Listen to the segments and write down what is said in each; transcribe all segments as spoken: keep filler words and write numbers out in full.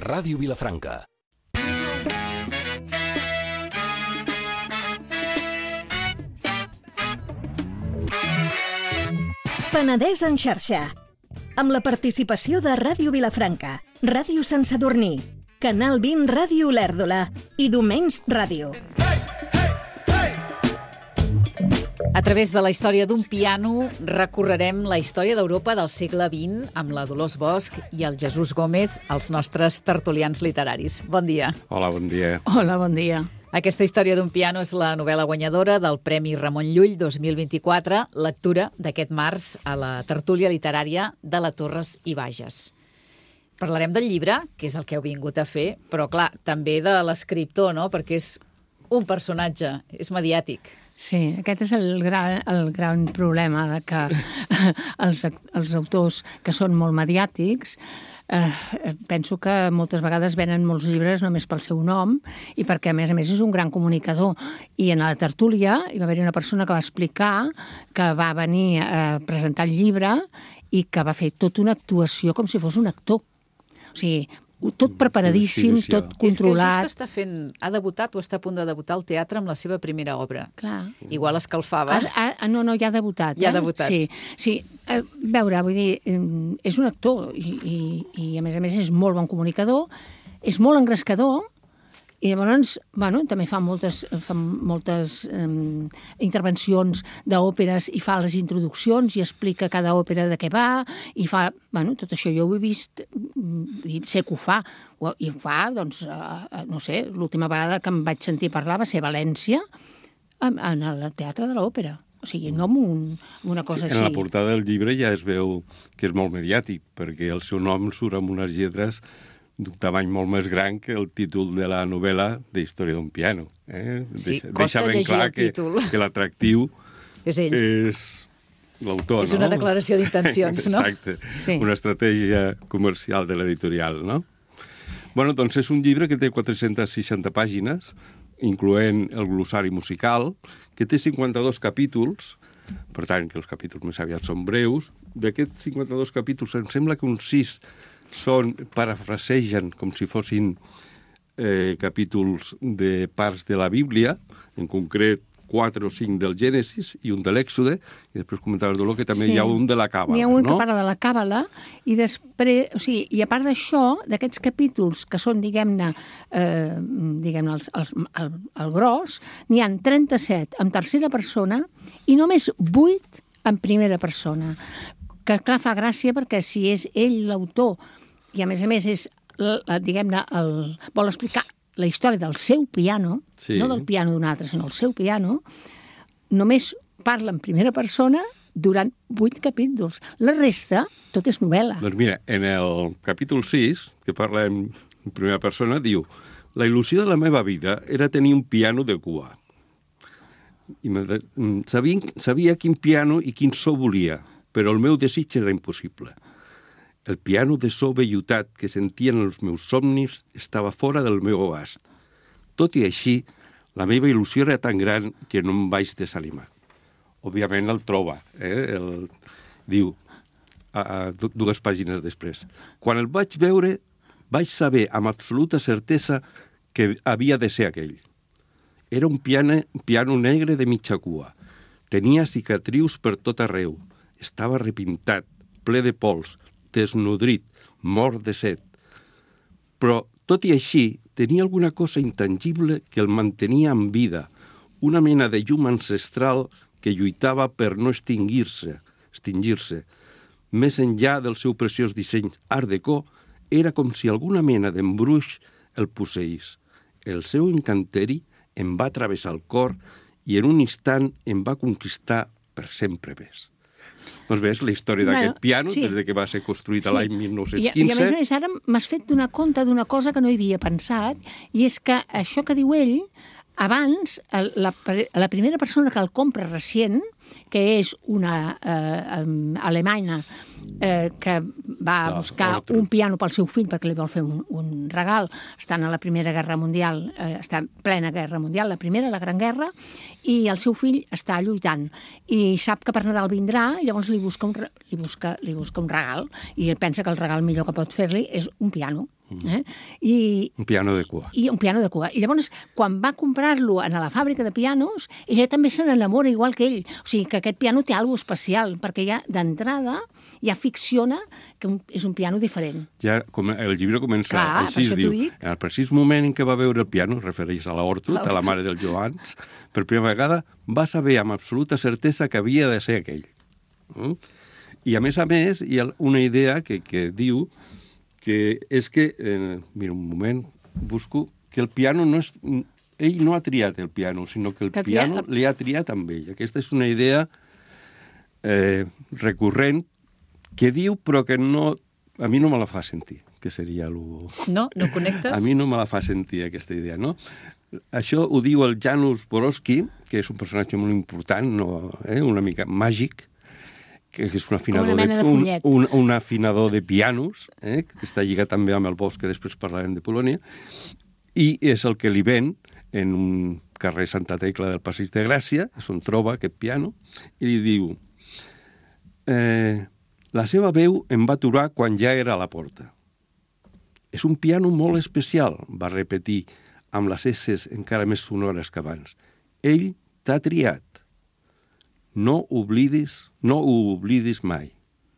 Ràdio Vilafranca. Penedès en xarxa. Amb la participació de Ràdio Vilafranca, Ràdio Sant Sadurní, Canal vint Ràdio Olèrdola i Domens Ràdio. A través de la història d'un piano recorrerem la història d'Europa del segle vint amb la Dolors Bosch i el Jesús Gómez, els nostres tertulians literaris. Bon dia. Hola, bon dia. Hola, bon dia. Aquesta història d'un piano és la novel·la guanyadora del Premi Ramon Llull dos mil vint-i-quatre, lectura d'aquest març a la tertúlia literària de la Torres i Bages. Parlarem del llibre, que és el que heu vingut a fer, però clar, també de l'escriptor, no? Perquè és un personatge, és mediàtic. Sí, aquest és el gran, el gran problema de que els, els autors que són molt mediàtics eh, penso que moltes vegades venen molts llibres només pel seu nom i perquè, a més a més, és un gran comunicador. I en la tertúlia hi va haver una persona que va explicar que va venir a presentar el llibre i que va fer tota una actuació com si fos un actor. O sigui, tot preparadíssim, tot controlat. És que just està fent, ha debutat o està a punt de debutar al teatre amb la seva primera obra. Clar. Igual escalfava. Ah, ah, no, no, ja ha debutat. Ja ha eh? debutat. Sí, sí. A veure, vull dir, és un actor i, i, i a més a més és molt bon comunicador, és molt engrescador i llavors, bueno, també fa moltes, fa moltes um, intervencions d'òperes i fa les introduccions i explica cada òpera de què va i fa, bueno, tot això jo ho he vist i sé que ho fa. I ho fa, doncs, uh, no sé, l'última vegada que em vaig sentir parlar va ser a València, en, en el Teatre de l'Òpera. O sigui, no amb, un, amb una cosa sí, així. En la portada del llibre ja es veu que és molt mediàtic, perquè el seu nom surt amb unes lletres d'un tamany molt més gran que el títol de la novel·la de Història d'un piano. Eh? Sí, Deixa, costa deixa ben llegir clar el que, títol. que l'atractiu és ell. És l'autor, no? És una declaració d'intencions, no? Exacte, sí. Una estratègia comercial de l'editorial, no? Bueno, doncs és un llibre que té quatre-centes seixanta pàgines, incloent el glossari musical, que té cinquanta-dos capítols, per tant, que els capítols més aviat són breus. D'aquests cinquanta-dos capítols, em sembla que uns sis són, parafrasegen com si fossin eh, capítols de parts de la Bíblia, en concret quatre o cinc del Gènesis i un de l'Èxode, i després comentava el Dolor que també sí. Hi ha un de la Càbala. N'hi ha un no? que parla de la Càbala, i després, o sigui, i a part d'això, d'aquests capítols que són, diguem-ne, eh, diguem-ne, els, els, el, el gros, n'hi ha trenta-set en tercera persona i només vuit en primera persona. Que, clar, fa gràcia perquè si és ell l'autor i, a més a més, és, diguem-ne, el, vol explicar la història del seu piano, sí. No del piano d'un altre, sinó el seu piano, només parla en primera persona durant vuit capítols. La resta, tot és novel·la. Doncs mira, en el capítol sis, que parla en primera persona, diu: la il·lusió de la meva vida era tenir un piano de cua. I sabia, sabia quin piano i quin so volia, però el meu desig era impossible. El piano de so vellutat que sentien els meus somnis estava fora del meu abast. Tot i així, la meva il·lusió era tan gran que no em vaig desanimar. Òbviament el troba, eh? El, diu, a, a, dues pàgines després. Quan el vaig veure, vaig saber amb absoluta certesa que havia de ser aquell. Era un piano, piano negre de mitja cua. Tenia cicatrius per tot arreu. Estava repintat, ple de pols, desnodrit, mort de set. Però, tot i així, tenia alguna cosa intangible que el mantenia en vida, una mena de llum ancestral que lluitava per no extingir-se. extingir-se. Més enllà del seu preciós disseny art déco, era com si alguna mena d'embruix el posseís. El seu encanteri em va travessar el cor i en un instant em va conquistar per sempre més. Doncs ves, la història d'aquest bueno, piano, sí. Des de que va ser construït sí. L'any mil nou-cents quinze... I, I a més a més, ara m'has fet donar compte d'una cosa que no hi havia pensat, i és que això que diu ell, abans, la, la primera persona que el compra recient, que és una eh, alemanya eh, que va no, buscar otro. un piano pel seu fill perquè li vol fer un, un regal, estan a la Primera Guerra Mundial, eh, està en plena Guerra Mundial, la Primera, la Gran Guerra, i el seu fill està lluitant i sap que per Nadal vindrà, llavors li busca un, li busca, li busca un regal i ell pensa que el regal millor que pot fer-li és un piano. Eh? I, un piano de cua. I un piano de cua. I llavors, quan va comprar-lo a la fàbrica de pianos, ella també se n'enamora igual que ell. O sigui, que aquest piano té alguna especial, perquè ja d'entrada ja ficciona que un, és un piano diferent. Ja com, el llibre comença Clar, així, per això diu, t'ho dic. en el precís moment en què va veure el piano, es refereix a la Hortut, a la mare del Joans, per primera vegada va saber amb absoluta certesa que havia de ser aquell. Mm? I, a més a més, hi ha una idea que, que diu que és que, eh, mira, un moment, busco, que el piano no és... Ell no ha triat el piano, sinó que el que piano triat... li ha triat amb ell. Aquesta és una idea eh, recurrent que diu, però que no... A mi no me la fa sentir, que seria el... No? No connectes? A mi no me la fa sentir, aquesta idea, no? Això ho diu el Janusz Borowski, que és un personatge molt important, no, eh, una mica màgic, que és un afinador, una de, de un, un, un afinador de pianos, eh, que està lligat també amb el Bosc, que després parlarem de Polònia, i és el que li ven en un carrer Santa Tecla del Passeig de Gràcia, és on troba aquest piano, i li diu eh, la seva veu em va aturar quan ja era a la porta. És un piano molt especial, va repetir amb les esses encara més sonores que abans. Ell t'ha triat. No oblidis, no ho oblidis mai.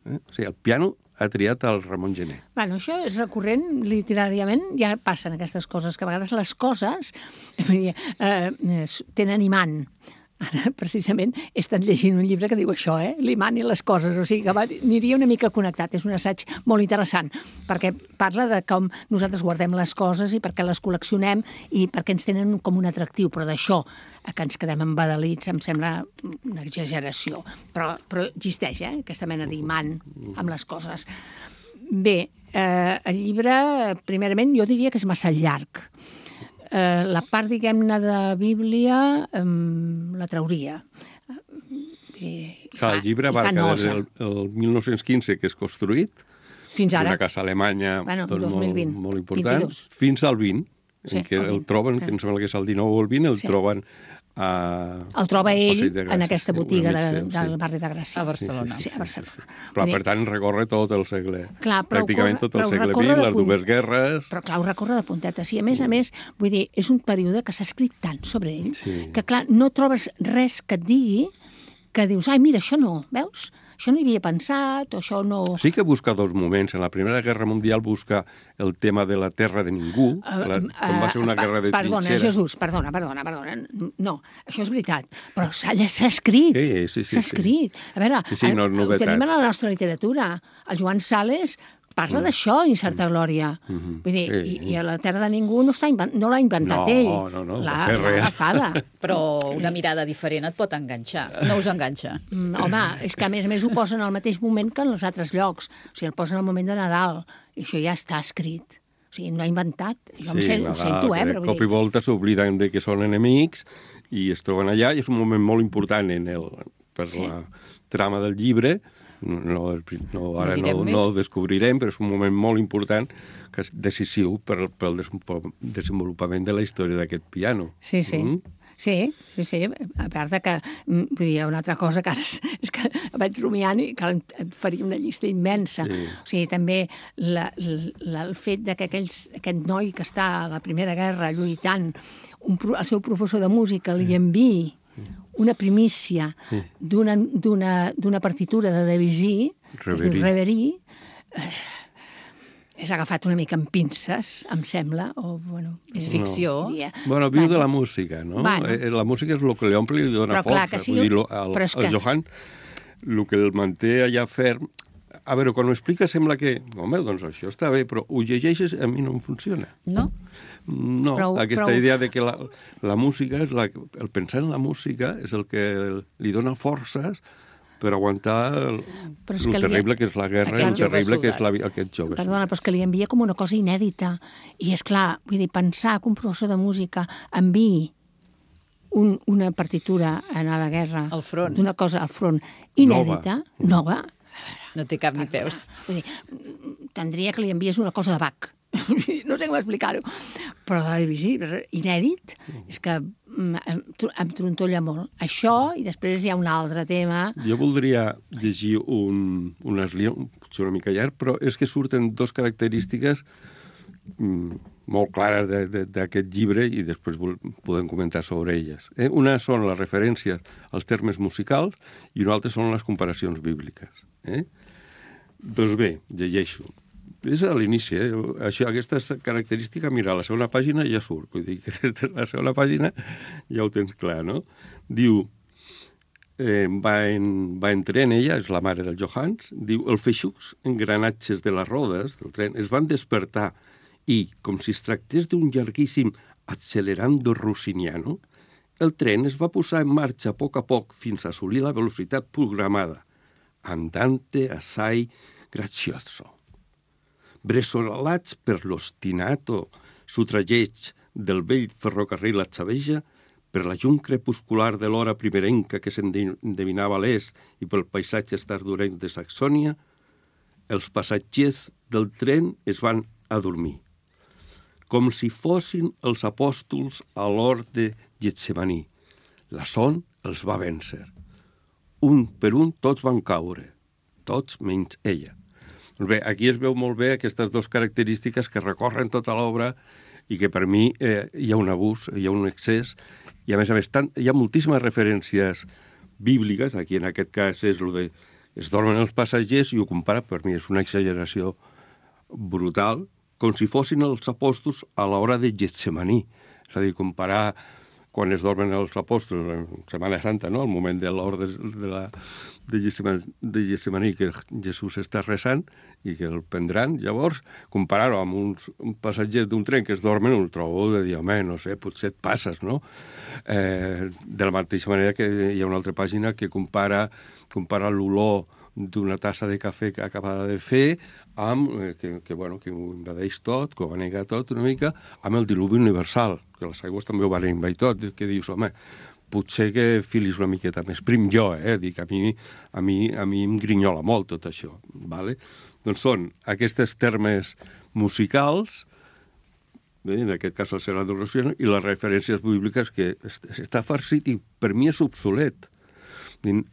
Eh? O sigui, el piano ha triat el Ramon Gené. Bueno, això és recurrent, literàriament, ja passen aquestes coses, que a vegades les coses eh, eh, tenen imant. Ara, precisament, he estat llegint un llibre que diu això, eh? L'imant i les coses, o sigui que va, aniria una mica connectat. És un assaig molt interessant, perquè parla de com nosaltres guardem les coses i per què les col·leccionem i per què ens tenen com un atractiu, però d'això que ens quedem embadalits em sembla una exageració. Però, però existeix, eh? Aquesta mena d'imant amb les coses. Bé, eh, el llibre, primerament, jo diria que és massa llarg. Eh, la part, diguem-ne, de Bíblia eh, la trauria. I, i Clar, el llibre abarca des del el mil nou-cents quinze, que és construït, fins ara. una casa alemanya bueno, tot dos mil vint, molt, molt important, vint-i-dos. Fins al vint, Sí, en què el el vint. troben, que em sembla que és el dinou o el vint, el Sí. troben a... El troba ell Passeig de Gràcia, en aquesta sí, un botiga amic de, seu, del sí. barri de Gràcia. A Barcelona. Sí, a Barcelona. Però, Vull dir, per tant, recorre tot el segle... Clar, però pràcticament corre- tot el però segle recorre vint, de les punt- dues guerres... Però, clar, ho recorre de puntetes. I, a més a més, vull dir, és un període que s'ha escrit tant sobre ell Sí. que, clar, no trobes res que et digui que dius, ai, mira, això no, veus? Això no hi havia pensat, o això no... Sí que busca dos moments. En la Primera Guerra Mundial busca el tema de la terra de ningú, la, com va ser una Uh, guerra de perdona, trinxera. Jesús, perdona, perdona, perdona. No, això és veritat, però s'ha s'ha escrit. Sí, sí, sí, S'ha sí. escrit. A veure, Sí, sí, no és ho novetat. tenim a la nostra literatura. El Joan Sales parla Mm. d'això, Incerta Glòria. Mhm. Vull dir, Sí. i, i a la Terra de Ningú no, està inven no l'ha inventat No, ell. no, no, va L'ha ser l'ha real. agafada. Però una mirada diferent et pot enganxar. No us enganxa. Mm, home, és que a més a més ho posen al mateix moment que en els altres llocs. O sigui, el posen al moment de Nadal. I això ja està escrit. O sigui, no ha inventat. Jo em sent, ho sento, eh? de Però vull cop i dir, volta s'obliden de que són enemics i es troben allà, i és un moment molt important en el, per Sí. la trama del llibre. No, no, no, ara No no, direm no ho més. descobrirem, però és un moment molt important que és decisiu per, per al desenvolupament de la història d'aquest piano. Sí, sí. Mm? Sí, sí, sí. A part de que, mm, vull dir, una altra cosa que ara és, és que vaig rumiant i que em faria una llista immensa. Sí. O sigui, també la, la, el fet de que aquells, aquest noi que està a la Primera Guerra lluitant, un, pro- el seu professor de música li enviï una primícia d'una d'una d'una partitura de Debussy, que es diu Reverie. Reverie, eh, és agafat una mica amb pinces, em sembla, o, bueno... És eh, ficció. diria. Bueno, viu Bueno. de la música, no? Bueno. Eh, La música és el que li omple i li dona Però clar, força. que sigui- Vull dir, lo- el, però és el que- Johann, el que el manté allà ferm... A veure, quan ho explica sembla que... Home, doncs això està bé, però ho llegeixes, a mi no em funciona. No? No, Prou- aquesta prou- idea de que la, la música, és la, el pensar en la música és el que li dona forces per aguantar el, Però és el que li- terrible que és la guerra i el Aquest jove terrible que és la, soldat. aquest jove. Perdona, però és que li envia com una cosa inèdita. I és clar, vull dir, pensar que un professor de música enviï un, una partitura a la guerra... Al front. D'una cosa al front inèdita, nova, nova No té cap ni peus. vull dir, tindria que li envies una cosa de Bach. No sé com explicar-ho. Però de Debussy, inèdit, és que mm, em, tro- em trontolla molt. Això, i després hi ha un altre tema... Jo voldria llegir un, unes línies, potser una mica llarg, però és que surten dos característiques mm, molt clares d'aquest llibre i després podem comentar sobre elles. Eh? Una són les referències als termes musicals i una altra són les comparacions bíbliques. Eh? Doncs bé, llegeixo. És a l'inici, eh? Això, aquesta característica, mira, a la segona pàgina ja surt. Vull dir que des de la segona pàgina ja ho tens clar, no? Diu, eh, va, en, va en tren, ella, és la mare del Johannes, diu, els feixucs engranatges de les rodes del tren es van despertar i, com si es tractés d'un llarguíssim accelerando rossiniano, el tren es va posar en marxa a poc a poc fins a assolir la velocitat programada. Andante assai grazioso. Bressolats per l'ostinato sotrageig del vell ferrocarril a Xaveja, per la llum crepuscular de l'hora primerenca que s'endevinava a l'est i pel paisatge tardorenc de Saxònia, els passatgers del tren es van adormir, com si fossin els apòstols a l'hort de Getsemaní. La son els va vèncer. Un per un tots van caure, tots menys ella. Bé, aquí es veu molt bé aquestes dues característiques que recorren tota l'obra i que per mi eh, hi ha un abús, hi ha un excés, i a més a més tant, hi ha moltíssimes referències bíbliques, aquí en aquest cas és el de es dormen els passatgers i ho compara, per mi és una exageració brutal, com si fossin els apòstols a l'hora de Getsemaní. És a dir, comparar quan es dormen els apòstols en Setmana Santa, no? Al moment de l'hora de, de, la, de, Getsemaní, de Getsemaní, que Jesús està resant i que el prendran, llavors, comparar-ho amb uns un passatgers d'un tren que es dormen, ho trobo de dir, home, no sé, potser et passes, no? Eh, de la mateixa manera que hi ha una altra pàgina que compara, compara l'olor d'una tassa de cafè que acabada de fer amb, eh, que, que, bueno, que ho invadeix tot, que ho va negar tot una mica, amb el diluvi universal, que les aigües també ho van invadir tot, que dius, home, potser que filis una miqueta més prim jo, eh? Dic, a mi, a mi, a mi em grinyola molt tot això, vale? Doncs són aquests termes musicals, bé, en aquest cas el Serrano Rossiano, i les referències bíbliques que està farcit i per mi és obsolet.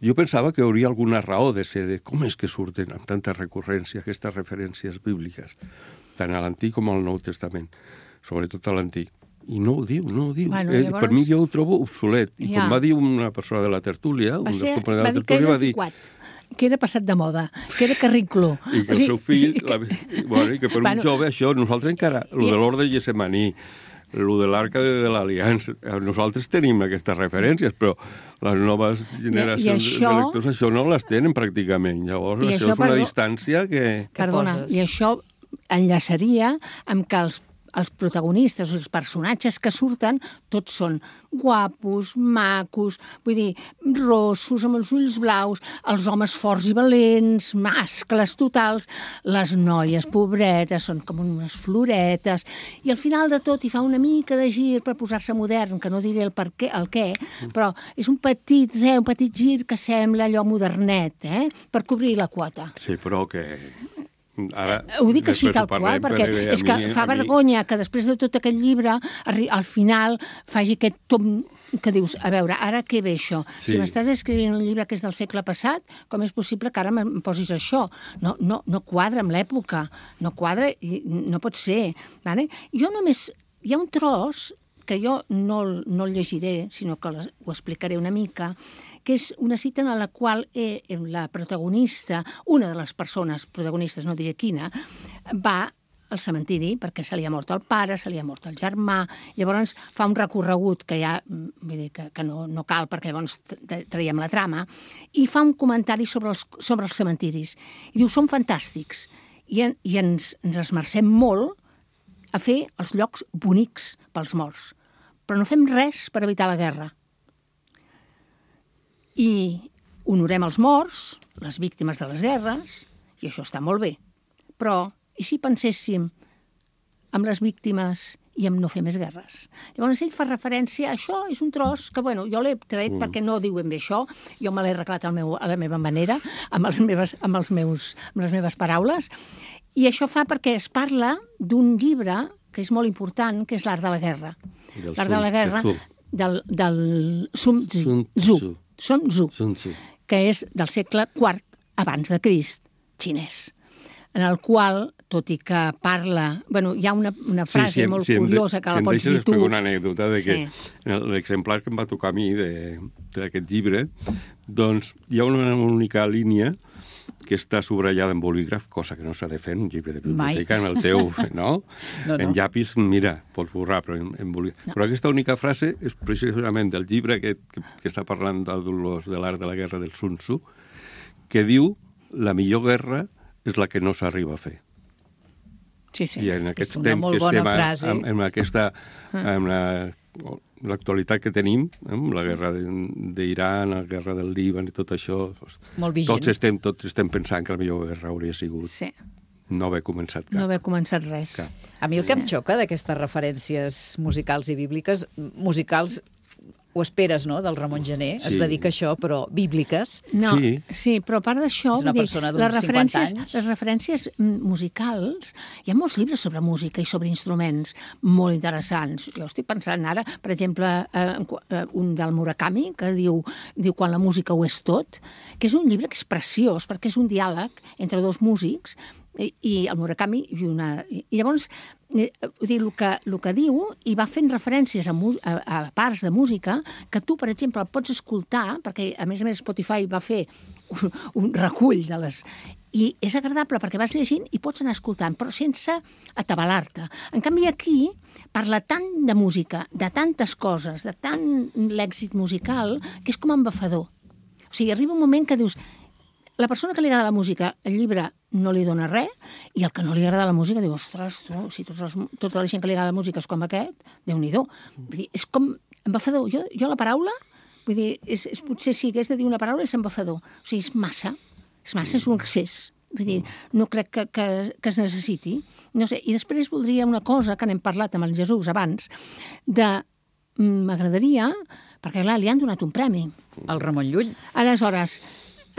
Jo pensava que hi hauria alguna raó de ser, de com és que surten amb tanta recurrència aquestes referències bíbliques, tant a l'Antic com al Nou Testament, sobretot a l'Antic. I no ho diu, no ho diu. Bueno, llavors... eh, per mi jo ho trobo obsolet. I ja. Com va dir una persona de la tertúlia, un dels components de la tertúlia, va dir... que era passat de moda, que era carrincló. I que o sigui, el seu fill... Que... La... Bueno, i que per bueno, un jove això, nosaltres encara... El de l'Hort de Getsemaní, el de l'Arca de, de l'Aliança, nosaltres tenim aquestes referències, però les noves generacions això, de lectors això no les tenen pràcticament. Llavors, això, això és una perdó, distància que... Perdona, que i això enllaçaria amb que els els protagonistes, els personatges que surten, tots són guapos, macos, vull dir, rossos, amb els ulls blaus, els homes forts i valents, mascles totals, les noies pobretes, són com unes floretes, i al final de tot hi fa una mica de gir per posar-se modern, que no diré el per què, el què, però és un petit, eh, un petit gir que sembla allò modernet, eh, per cobrir la quota. Sí, però que... Ara, ho dic així tal qual, perquè és que fa vergonya que després de tot aquest llibre al final faci aquest tom que dius, a veure, ara què ve això? Sí. Si m'estàs escrivint un llibre que és del segle passat, com és possible que ara em posis això? No, no, no quadra amb l'època, no quadra i no pot ser. Vale? Jo només... Hi ha un tros que jo no, no el llegiré, sinó que ho explicaré una mica, que és una cita en la qual eh, la protagonista, una de les persones protagonistes, no diré quina, va al cementiri perquè se li ha mort el pare, se li ha mort el germà, llavors fa un recorregut que ja, vull dir, que, que no, no cal perquè llavors traiem la trama, i fa un comentari sobre els, sobre els cementiris. I diu, són fantàstics, i, en, i ens, ens esmercem molt a fer els llocs bonics pels morts, però no fem res per evitar la guerra. I honorem els morts, les víctimes de les guerres, i això està molt bé. Però, i si penséssim amb les víctimes i en no fer més guerres? Llavors ell fa referència a això, és un tros que, bueno, jo l'he tret mm. perquè no diu ben bé això, jo me l'he arreglat al meu, a la meva manera, amb, els meves, amb, els meus, amb les meves paraules, i això fa perquè es parla d'un llibre que és molt important, que és l'art de la guerra. L'art de la guerra del, del Sun Tzu. Sun Tzu, que és del segle quart abans de Crist, xinès, en el qual tot i que parla... Bueno, hi ha una, una frase sí, sí, molt sí, curiosa de, que si la pots dir tu. Si em deixes una anècdota de que sí. l'exemplar que em va tocar a mi d'aquest llibre, doncs hi ha una única línia que està subratllada en bolígraf, cosa que no s'ha de fer en un llibre de biblioteca, Mai. en el teu, no? no, no. En llapis, mira, pots borrar, però en, en bolígraf. No. Però aquesta única frase és precisament del llibre aquest que, que està parlant d'Aldolors de l'art de la guerra del Sun Tzu, que diu la millor guerra és la que no s'arriba a fer. Sí, sí. I en aquest és una temps molt que bona estem frase. amb, amb aquesta... amb la, l'actualitat que tenim, amb la guerra d'Iran, la guerra del Líban i tot això, molt vigent. tots estem, tots estem pensant que la millor guerra hauria sigut sí. no haver començat cap. No haver començat res. Cap. A mi el que em xoca d'aquestes referències musicals i bíbliques, musicals ho esperes, no?, del Ramon Gené, sí. es dedica a això, però bíbliques... No, sí. sí, però a part d'això... És una persona d'uns cinquanta anys. Les referències musicals, hi ha molts llibres sobre música i sobre instruments molt interessants. Jo estic pensant ara, per exemple, eh, un del Murakami, que diu, diu Quan la música ho és tot, que és un llibre que és preciós, perquè és un diàleg entre dos músics, i, i el Murakami i una... I llavors, eh, dir, el, que, el que diu, i va fent referències a, a, a parts de música que tu, per exemple, pots escoltar, perquè a més a més Spotify va fer un, un recull de les... I és agradable perquè vas llegint i pots anar escoltant, però sense atabalar-te. En canvi, aquí parla tant de música, de tantes coses, de tant l'èxit musical, que és com embafador. O sigui, arriba un moment que dius... La persona que li agrada la música, el llibre no li dona res, i el que no li agrada la música diu, ostres, tu, si tots els, tota la gent que li agrada la música és com aquest, Déu-n'hi-do. Vull dir, és com embafador. Jo, jo la paraula, vull dir, és, és, potser si hagués de dir una paraula és embafador. O sigui, és massa, és massa, és un excés. Vull dir, no crec que, que, que es necessiti. No sé, i després voldria una cosa que n'hem parlat amb el Jesús abans, de... M'agradaria, perquè clar, li han donat un premi. El Ramon Llull. Aleshores,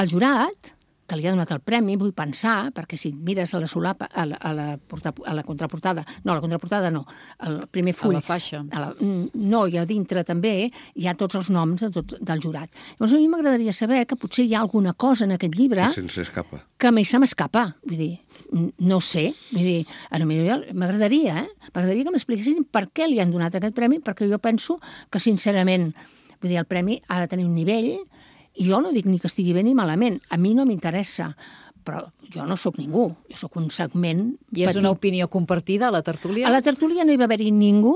el jurat, que li ha donat el premi, vull pensar, perquè si mires a la solapa, a la, a la, porta, a la contraportada, no, a la contraportada no, al primer full... A la faixa. A la, no, i a dintre també hi ha tots els noms de tot, del jurat. Llavors a mi m'agradaria saber que potser hi ha alguna cosa en aquest llibre... Que se'ns escapa. Que a mi se m'escapa, vull dir, no sé, vull dir, m'agradaria, eh? M'agradaria que m'expliquessin per què li han donat aquest premi, perquè jo penso que, sincerament, vull dir, el premi ha de tenir un nivell... I jo no dic ni que estigui bé ni malament. A mi no m'interessa, però jo no sóc ningú. Jo sóc un segment I és petit. una opinió compartida a la tertúlia? A la tertúlia no hi va haver-hi ningú,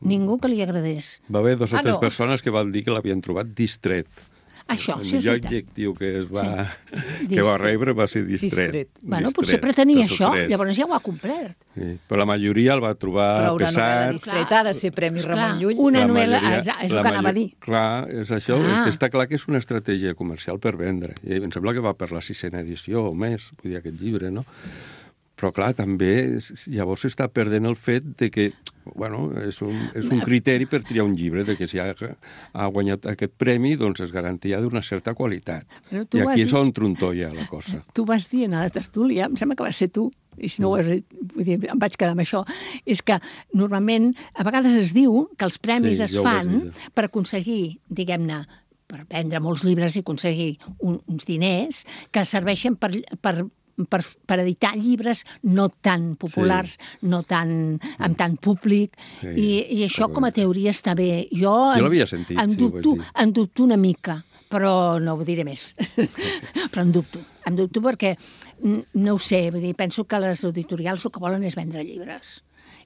ningú que li agradés. Va haver dos o Ah, tres no. persones que van dir que l'havien trobat distret. Això, el sí, és millor veritat. adjectiu que es va, Sí. que va Distret. rebre va ser distret. Distret. Bueno, Distret, potser pretenia dos o això, tres. llavors ja ho ha complert. Sí. Però la majoria el va trobar Però una novel·la pesat. distreta ha de ser Premi Esclar, Ramon Llull. una La novel·la, majoria- és, és la el que anava a dir. major- Clar, és això, Ah. que està clar que és una estratègia comercial per vendre. I em sembla que va per la sisena edició o més, vull dir, aquest llibre, no? Però, clar, també llavors s'està perdent el fet de que, bueno, és un, és un criteri per triar un llibre, de que si ha, ha guanyat aquest premi, doncs és garantia d'una certa qualitat. Però tu I vas aquí dir- és on trontolla la cosa. Tu vas dir a la tertúlia, em sembla que va ser tu, i si no ho has dit, vull dir, em vaig quedar amb això, és que normalment, a vegades es diu que els premis Sí, es jo ho vaig fan dir. per aconseguir, diguem-ne, per vendre molts llibres i aconseguir un, uns diners que serveixen per, per, per, per editar llibres no tan populars, sí. no tan, amb tant públic, Sí, i, i això però com a teoria està bé. Jo, Jo en- l'havia sentit, em sí, ho vaig dubto, dir. em dubto una mica, però no ho diré més. Però em dubto. Em dubto perquè, mm, no ho sé, vull dir, penso que les editorials el que volen és vendre llibres.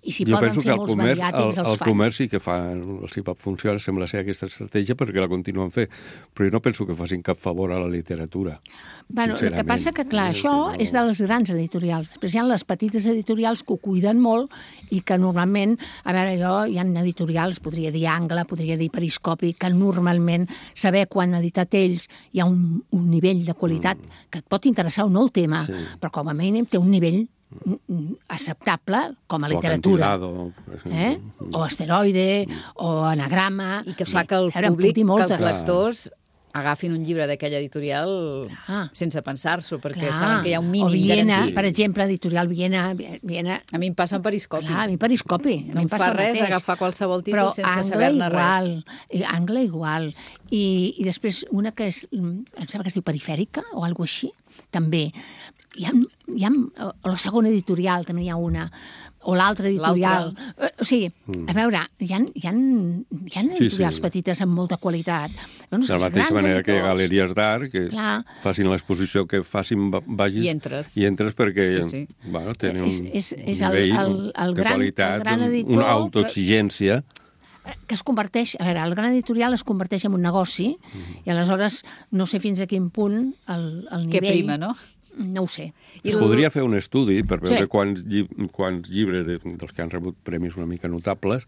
I si jo poden penso fer que el molts comerç, el, mediàtics, els el fan. comerç sí que fa, els hi va funcionar, sembla ser aquesta estratègia perquè la continuen fent, però jo no penso que facin cap favor a la literatura. Bueno, el que sincerament. passa que, clar, Eh, això no- és de les grans editorials. Després hi ha les petites editorials que ho cuiden molt i que normalment, a veure, jo, hi ha editorials, podria dir Angle, podria dir Periscopi, que normalment saber quan han editat ells hi ha un, un nivell de qualitat mm. que et pot interessar o no el tema, Sí. però com a mínim té un nivell mm, acceptable com a O literatura. Acantilado, per exemple. Eh? O asteroide, o anagrama... I que fa que el A veure, em públic, puc dir que moltes. els lectors agafin un llibre d'aquella editorial ah. sense pensar-s'ho, perquè Clar. saben que hi ha un mínim o Viena, garantit. per exemple, editorial Viena, Viena... A mi em passa en Periscopi. Clar, a mi Periscopi. No em fa res agafar qualsevol títol sense saber-ne res. Però Angle igual. I, I després una que és, em sembla que es diu Perifèrica o alguna així, també. Hi ha, hi ha, o la segona editorial també hi ha una, o l'altra editorial. O sigui, a veure, hi ha, hi ha, hi ha editorials sí, sí. petites amb molta qualitat. Doncs de la mateixa manera editors, que galeries d'art, que clar. facin l'exposició, que facin vagis... I entres. I entres perquè sí, sí. Bueno, tenen és, és, és un nivell el, el, el de gran, qualitat, el gran editor, una autoexigència... que es converteix, a veure, el gran editorial es converteix en un negoci mm. i aleshores no sé fins a quin punt el, el nivell... Que prima, no? No ho sé. I el... Podria fer un estudi per veure sí. quants, lli quants llibres de, dels que han rebut premis una mica notables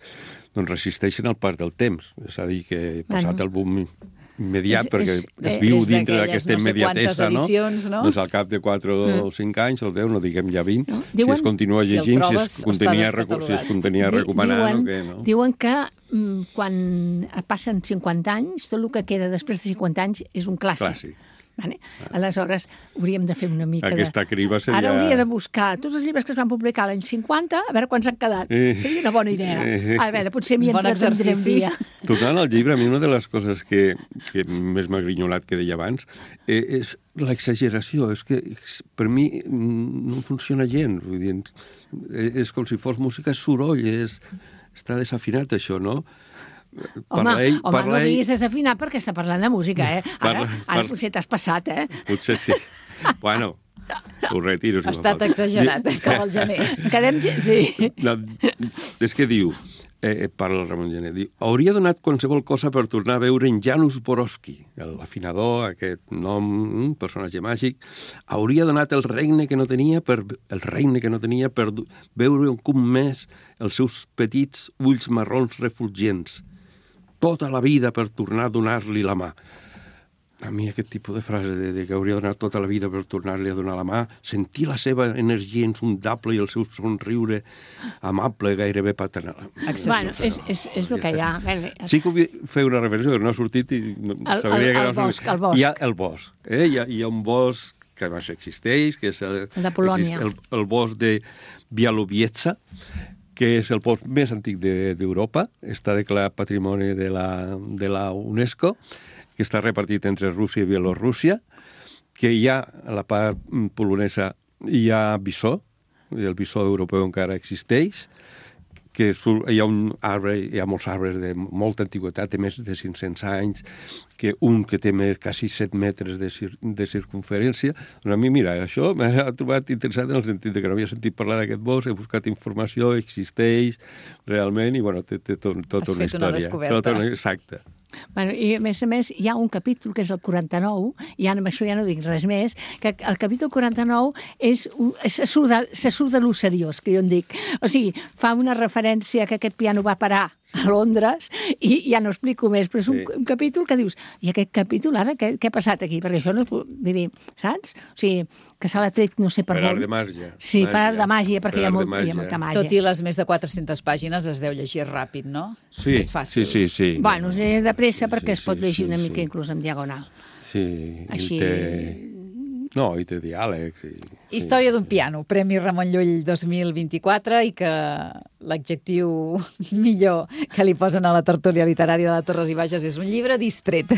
doncs resisteixen al pas del temps. És a dir, que passat bueno. el boom immediat, és, perquè és, es viu dintre d'aquesta no immediatesa, no? Edicions, no? Doncs al cap de quatre mm. o cinc anys, el deu, no diguem ja vint, no? Diuen, si es continua llegint, si, si es contenia, si es contenia recomanant diuen, o què, no? Diuen que mm, quan passen cinquanta anys, tot el que queda després de cinquanta anys és un clàssic. Clàssic. Vale? Aleshores, hauríem de fer una mica Aquesta de... criba seria... Ara hauria de buscar tots els llibres que es van publicar l'any cinquanta, a veure quants han quedat. Eh. Seria una bona idea. Eh. A veure, potser m'hi bon entretindrem dia. Tornant al llibre, a mi una de les coses que, que més m'ha grinyolat que deia abans eh, és l'exageració. És que per mi no funciona gens. Vull dir, és com si fos música soroll, és, està desafinat això, no? Home, ell, home no diguis desafinat perquè està parlant de música, eh? Ara, parla, ara parla. Potser t'has passat, eh? Potser sí. Bueno, ho retiro. Ha si estat exagerat, eh, com el gener. Quedem gent, sí. No, és que diu, eh, parla el Ramon Gené, diu, hauria donat qualsevol cosa per tornar a veure en Janusz Borowski, l'afinador, aquest nom, un personatge màgic, hauria donat el regne que no tenia per el regne que no tenia per veure un cop més els seus petits ulls marrons refulgents. Tota la vida per tornar a donar-li la mà. A mi aquest tipus de frase de, de que hauria donat tota la vida per tornar-li a donar la mà, sentir la seva energia insondable i el seu somriure amable, gairebé paternal. Excessiu. Bueno, és, és, és el que hi ha. Sí que vull fer una referència, que no ha sortit i... El, el, el, el bosc, el bosc. Hi ha el bosc. Eh? Hi, ha, hi ha un bosc que més existeix, que és el, el de Polònia. El, el bosc de Bialowieza, que és el bosc més antic d'Europa, de, està declarat patrimoni de la, de la UNESCO, que està repartit entre Rússia i Bielorússia, que hi ha, a la part polonesa, hi ha bisó, el bisó europeu encara existeix, que hi ha un arbre, hi ha molts arbres de molta antiguitat, de més de cinc-cents anys, que un que té més, quasi set metres de, cir de circunferència. Doncs a mi, mira, això m'ha trobat interessant en el sentit que no havia sentit parlar d'aquest bosc, he buscat informació, existeix realment, i bueno, té, té tot, tota una història. Has fet una descoberta. Tota una, exacte. Bueno, i a més a més hi ha un capítol que és el quaranta-nou, i ja, amb això ja no dic res més, que el capítol quaranta-nou és, és, se surt de, se surt de lo seriós, que jo en dic. O sigui, fa una referència que aquest piano va parar a Londres, i ja no explico més, però és un, sí. un capítol que dius, i aquest capítol ara, què, què ha passat aquí? Perquè això no es... Vull dir, saps? O sigui, que se l'ha tret no sé per, per on. art de màgia. Sí, màgia. per art de màgia, perquè hi ha, molt, màgia. hi ha molta màgia. Tot i les més de quatre-centes pàgines es deu llegir ràpid, no? Sí, és fàcil. sí, sí, sí. Bueno, és de pressa perquè sí, es pot llegir sí, una sí, mica sí. inclús en diagonal. Sí, així... i té... No, i té diàlegs. I... Història d'un piano, Premi Ramon Llull dos mil vint-i-quatre, i que l'adjectiu millor que li posen a la tertúlia literària de la Torres i Bages és un llibre distret,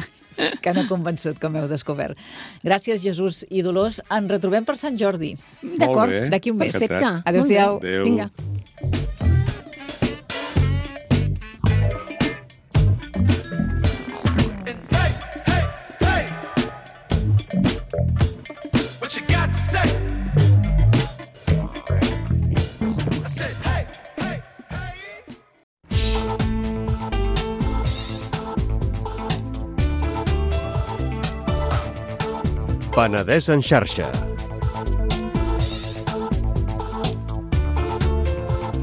que no ha convençut, com heu descobert. Gràcies, Jesús i Dolors. Ens retrobem per Sant Jordi. D'acord, d'aquí un mes. Perfecte. Adéu-siau. Adéu. Vinga. Penedès en xarxa.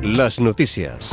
Les notícies.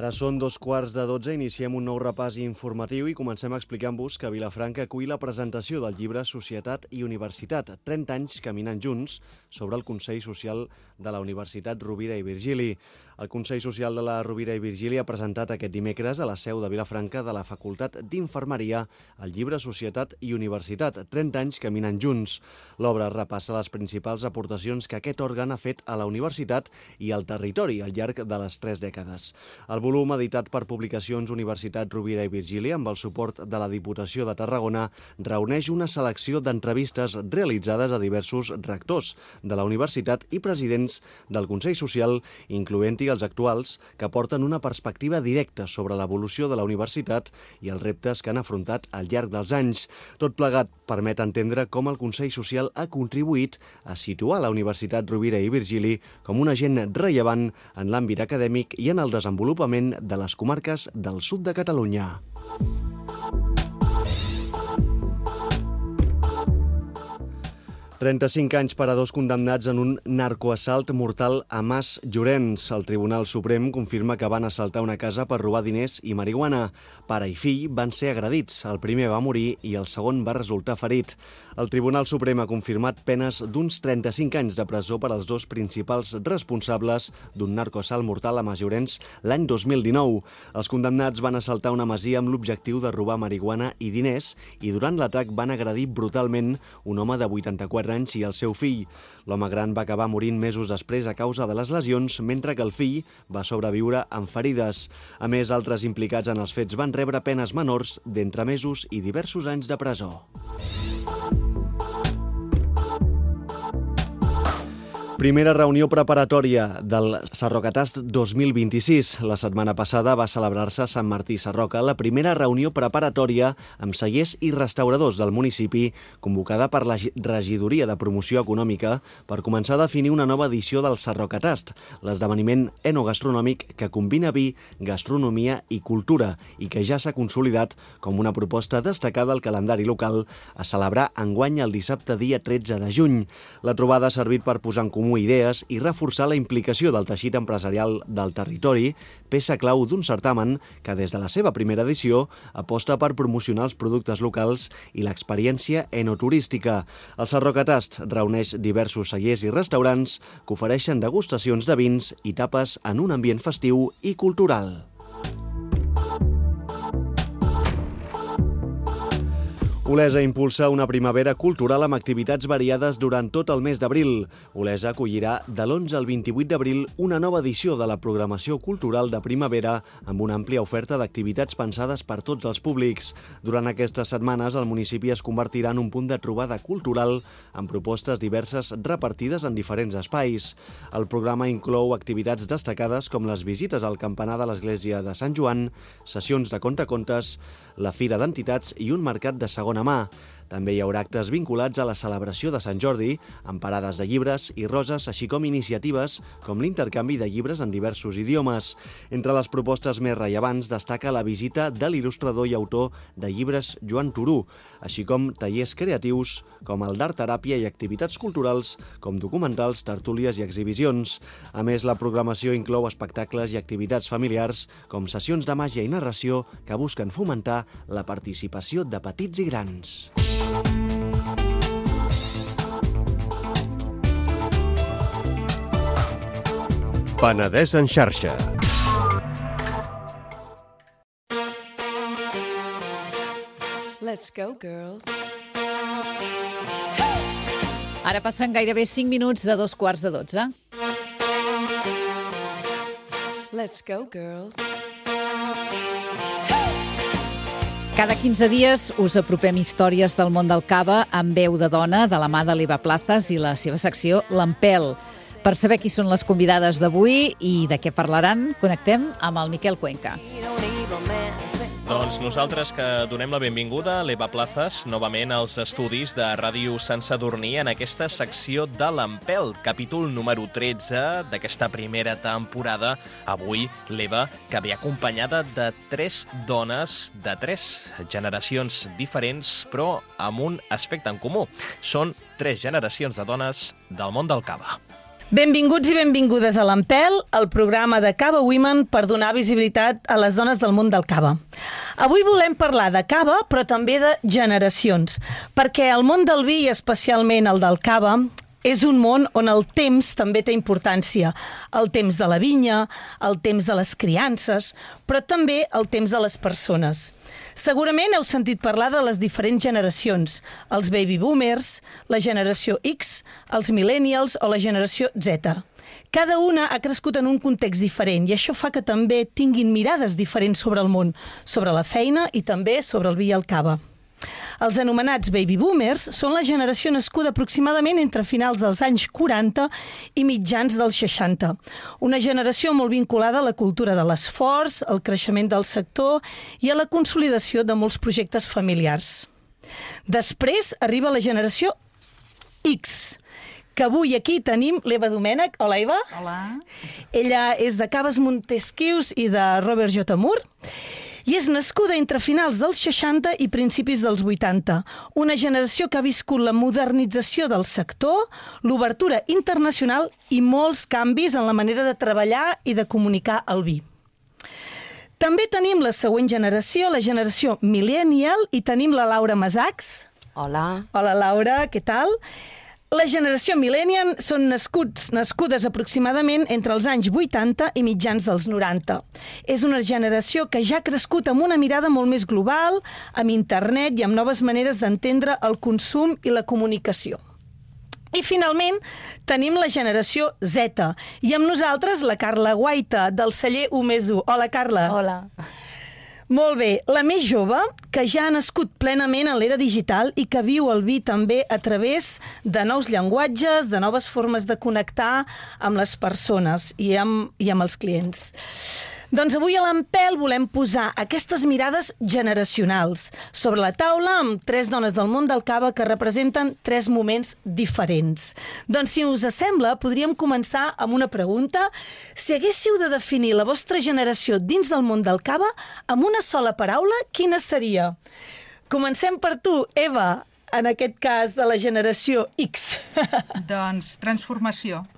Ara són dos quarts de dotze, iniciem un nou repàs informatiu i comencem explicant-vos que Vilafranca acull la presentació del llibre Societat i Universitat, trenta anys caminant junts, sobre el Consell Social de la Universitat Rovira i Virgili. El Consell Social de la Rovira i Virgili ha presentat aquest dimecres a la seu de Vilafranca de la Facultat d'Infermeria el llibre Societat i Universitat, trenta anys caminant junts. L'obra repassa les principals aportacions que aquest òrgan ha fet a la universitat i al territori al llarg de les tres dècades. El volum, editat per Publicacions Universitat Rovira i Virgili, amb el suport de la Diputació de Tarragona, reuneix una selecció d'entrevistes realitzades a diversos rectors de la universitat i presidents del Consell Social, incloent-hi els actuals, que aporten una perspectiva directa sobre l'evolució de la universitat i els reptes que han afrontat al llarg dels anys. Tot plegat permet entendre com el Consell Social ha contribuït a situar la Universitat Rovira i Virgili com un agent rellevant en l'àmbit acadèmic i en el desenvolupament de les comarques del sud de Catalunya. trenta-cinc anys per a dos condemnats en un narcoassalt mortal a Mas Llorenç. El Tribunal Suprem confirma que van assaltar una casa per robar diners i marihuana. Pare i fill van ser agredits. El primer va morir i el segon va resultar ferit. El Tribunal Suprem ha confirmat penes d'uns trenta-cinc anys de presó per als dos principals responsables d'un narcoassalt mortal a Mas Llorenç l'any dos mil dinou. Els condemnats van assaltar una masia amb l'objectiu de robar marihuana i diners i durant l'atac van agredir brutalment un home de vuitanta-quatre anys i el seu fill. L'home gran va acabar morint mesos després a causa de les lesions, mentre que el fill va sobreviure amb ferides. A més, altres implicats en els fets van rebre penes menors d'entre mesos i diversos anys de presó. Primera reunió preparatòria del Sarrocatast dos mil vint-i-sis. La setmana passada va celebrar-se a Sant Martí Sarroca la primera reunió preparatòria amb cellers i restauradors del municipi, convocada per la Regidoria de Promoció Econòmica per començar a definir una nova edició del Sarrocatast, l'esdeveniment enogastronòmic que combina vi, gastronomia i cultura i que ja s'ha consolidat com una proposta destacada al calendari local a celebrar enguany el dissabte dia tretze de juny. La trobada ha servit per posar en comú idees i reforçar la implicació del teixit empresarial del territori, peça clau d'un certamen que des de la seva primera edició aposta per promocionar els productes locals i l'experiència enoturística. El Sarrocatast reuneix diversos cellers i restaurants que ofereixen degustacions de vins i tapes en un ambient festiu i cultural. Olesa impulsa una primavera cultural amb activitats variades durant tot el mes d'abril. Olesa acollirà de l'onze al vint-i-vuit d'abril una nova edició de la programació cultural de primavera amb una àmplia oferta d'activitats pensades per tots els públics. Durant aquestes setmanes, el municipi es convertirà en un punt de trobada cultural amb propostes diverses repartides en diferents espais. El programa inclou activitats destacades com les visites al campanar de l'església de Sant Joan, sessions de contacontes, la Fira d'Entitats i un mercat de segona mà. També hi haurà actes vinculats a la celebració de Sant Jordi, amb parades de llibres i roses, així com iniciatives com l'intercanvi de llibres en diversos idiomes. Entre les propostes més rellevants destaca la visita de l'il·lustrador i autor de llibres Joan Turú, així com tallers creatius com el d'art teràpia i activitats culturals com documentals, tertúlies i exhibicions. A més, la programació inclou espectacles i activitats familiars com sessions de màgia i narració que busquen fomentar la participació de petits i grans. Penedès en xarxa. Let's go, girls. Ara passen gairebé cinc minuts de dos quarts de dotze. Let's go, girls. Cada quinze dies us apropem històries del món del cava amb veu de dona de la mà de l'Eva Plazas i la seva secció L'Empel. Per saber qui són les convidades d'avui i de què parlaran, connectem amb el Miquel Cuenca. Doncs nosaltres que donem la benvinguda a l'Eva Plazas novament als estudis de Ràdio Sant Sadurní en aquesta secció de l'Empel, capítol número tretze d'aquesta primera temporada. Avui l'Eva, que ve acompanyada de tres dones de tres generacions diferents, però amb un aspecte en comú. Són tres generacions de dones del món del cava. Benvinguts i benvingudes a l'Empel, el programa de Cava Women per donar visibilitat a les dones del món del cava. Avui volem parlar de cava, però també de generacions, perquè el món del vi, i especialment el del cava, és un món on el temps també té importància. El temps de la vinya, el temps de les criances, però també el temps de les persones. Segurament heu sentit parlar de les diferents generacions, els baby boomers, la generació X, els millennials o la generació Z. Cada una ha crescut en un context diferent i això fa que també tinguin mirades diferents sobre el món, sobre la feina i també sobre el vi i el cava. Els anomenats baby boomers són la generació nascuda aproximadament entre finals dels anys quaranta i mitjans dels seixanta. Una generació molt vinculada a la cultura de l'esforç, al creixement del sector i a la consolidació de molts projectes familiars. Després arriba la generació X, que avui aquí tenim l'Eva Domènech. Hola, Eva. Hola. Ella és de Caves Montesquius i de Robert J. Moore. I és nascuda entre finals dels seixanta i principis dels vuitanta. Una generació que ha viscut la modernització del sector, l'obertura internacional i molts canvis en la manera de treballar i de comunicar el vi. També tenim la següent generació, la generació millennial, i tenim la Laura Masachs. Hola. Hola, Laura, què tal? La generació millennial són nascuts, nascudes aproximadament entre els anys vuitanta i mitjans dels noranta. És una generació que ja ha crescut amb una mirada molt més global, amb internet i amb noves maneres d'entendre el consum i la comunicació. I finalment tenim la generació Z i amb nosaltres la Carla Guaita del celler Umezu. Hola, Carla. Hola. Molt bé, la més jove, que ja ha nascut plenament en l'era digital i que viu el vi també a través de nous llenguatges, de noves formes de connectar amb les persones i amb, i amb els clients. Doncs avui a l'Empel volem posar aquestes mirades generacionals sobre la taula amb tres dones del món del cava que representen tres moments diferents. Doncs si us sembla, podríem començar amb una pregunta. Si haguéssiu de definir la vostra generació dins del món del cava amb una sola paraula, quina seria? Comencem per tu, Eva, en aquest cas de la generació X. Doncs transformació.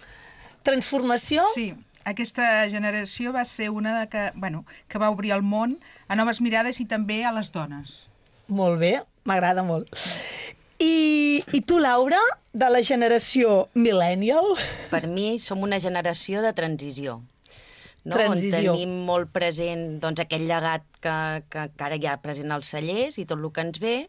Transformació? Sí. Aquesta generació va ser una de que, bueno, que va obrir el món a noves mirades i també a les dones. Molt bé, m'agrada molt. I, I tu, Laura, de la generació millennial? Per mi som una generació de transició. No? Transició. On tenim molt present doncs, aquell llegat que, que, que ara hi ha present als cellers i tot el que ens ve,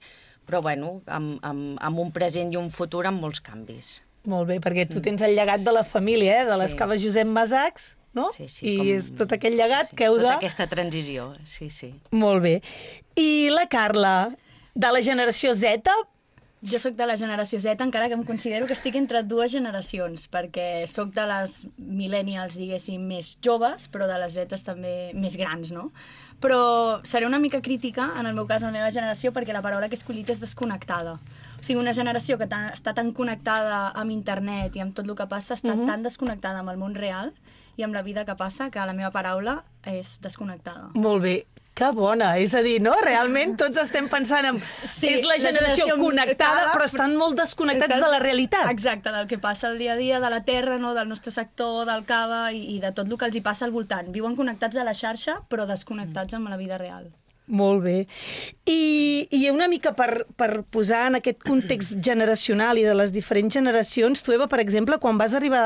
però bueno, amb, amb, amb un present i un futur amb molts canvis. Molt bé, perquè tu tens el llegat de la família, eh? De les sí. Caves Josep Masachs, no? Sí, sí. I Com... és tot aquell llegat sí, sí. que heu de... Tota aquesta transició, sí, sí. Molt bé. I la Carla, de la generació Z? Jo sóc de la generació Z, encara que em considero que estic entre dues generacions, perquè sóc de les millennials, diguéssim, més joves, però de les Zetes també més grans, no? Però seré una mica crítica, en el meu cas, en la meva generació, perquè la paraula que he escollit és desconnectada. O sigui, una generació que està tan connectada amb internet i amb tot el que passa, està uh-huh. tan desconnectada amb el món real i amb la vida que passa, que la meva paraula és desconnectada. Molt bé. Que bona, és a dir, no? Realment tots estem pensant en... Sí, és la generació, la generació connectada, però estan molt desconnectats de la realitat. Exacte, del que passa el dia a dia, de la terra, no? Del nostre sector, del cava i, i de tot el que els hi passa al voltant. Viuen connectats a la xarxa, però desconnectats amb la vida real. Molt bé. I, i una mica per, per posar en aquest context generacional i de les diferents generacions, tu, Eva, per exemple, quan vas arribar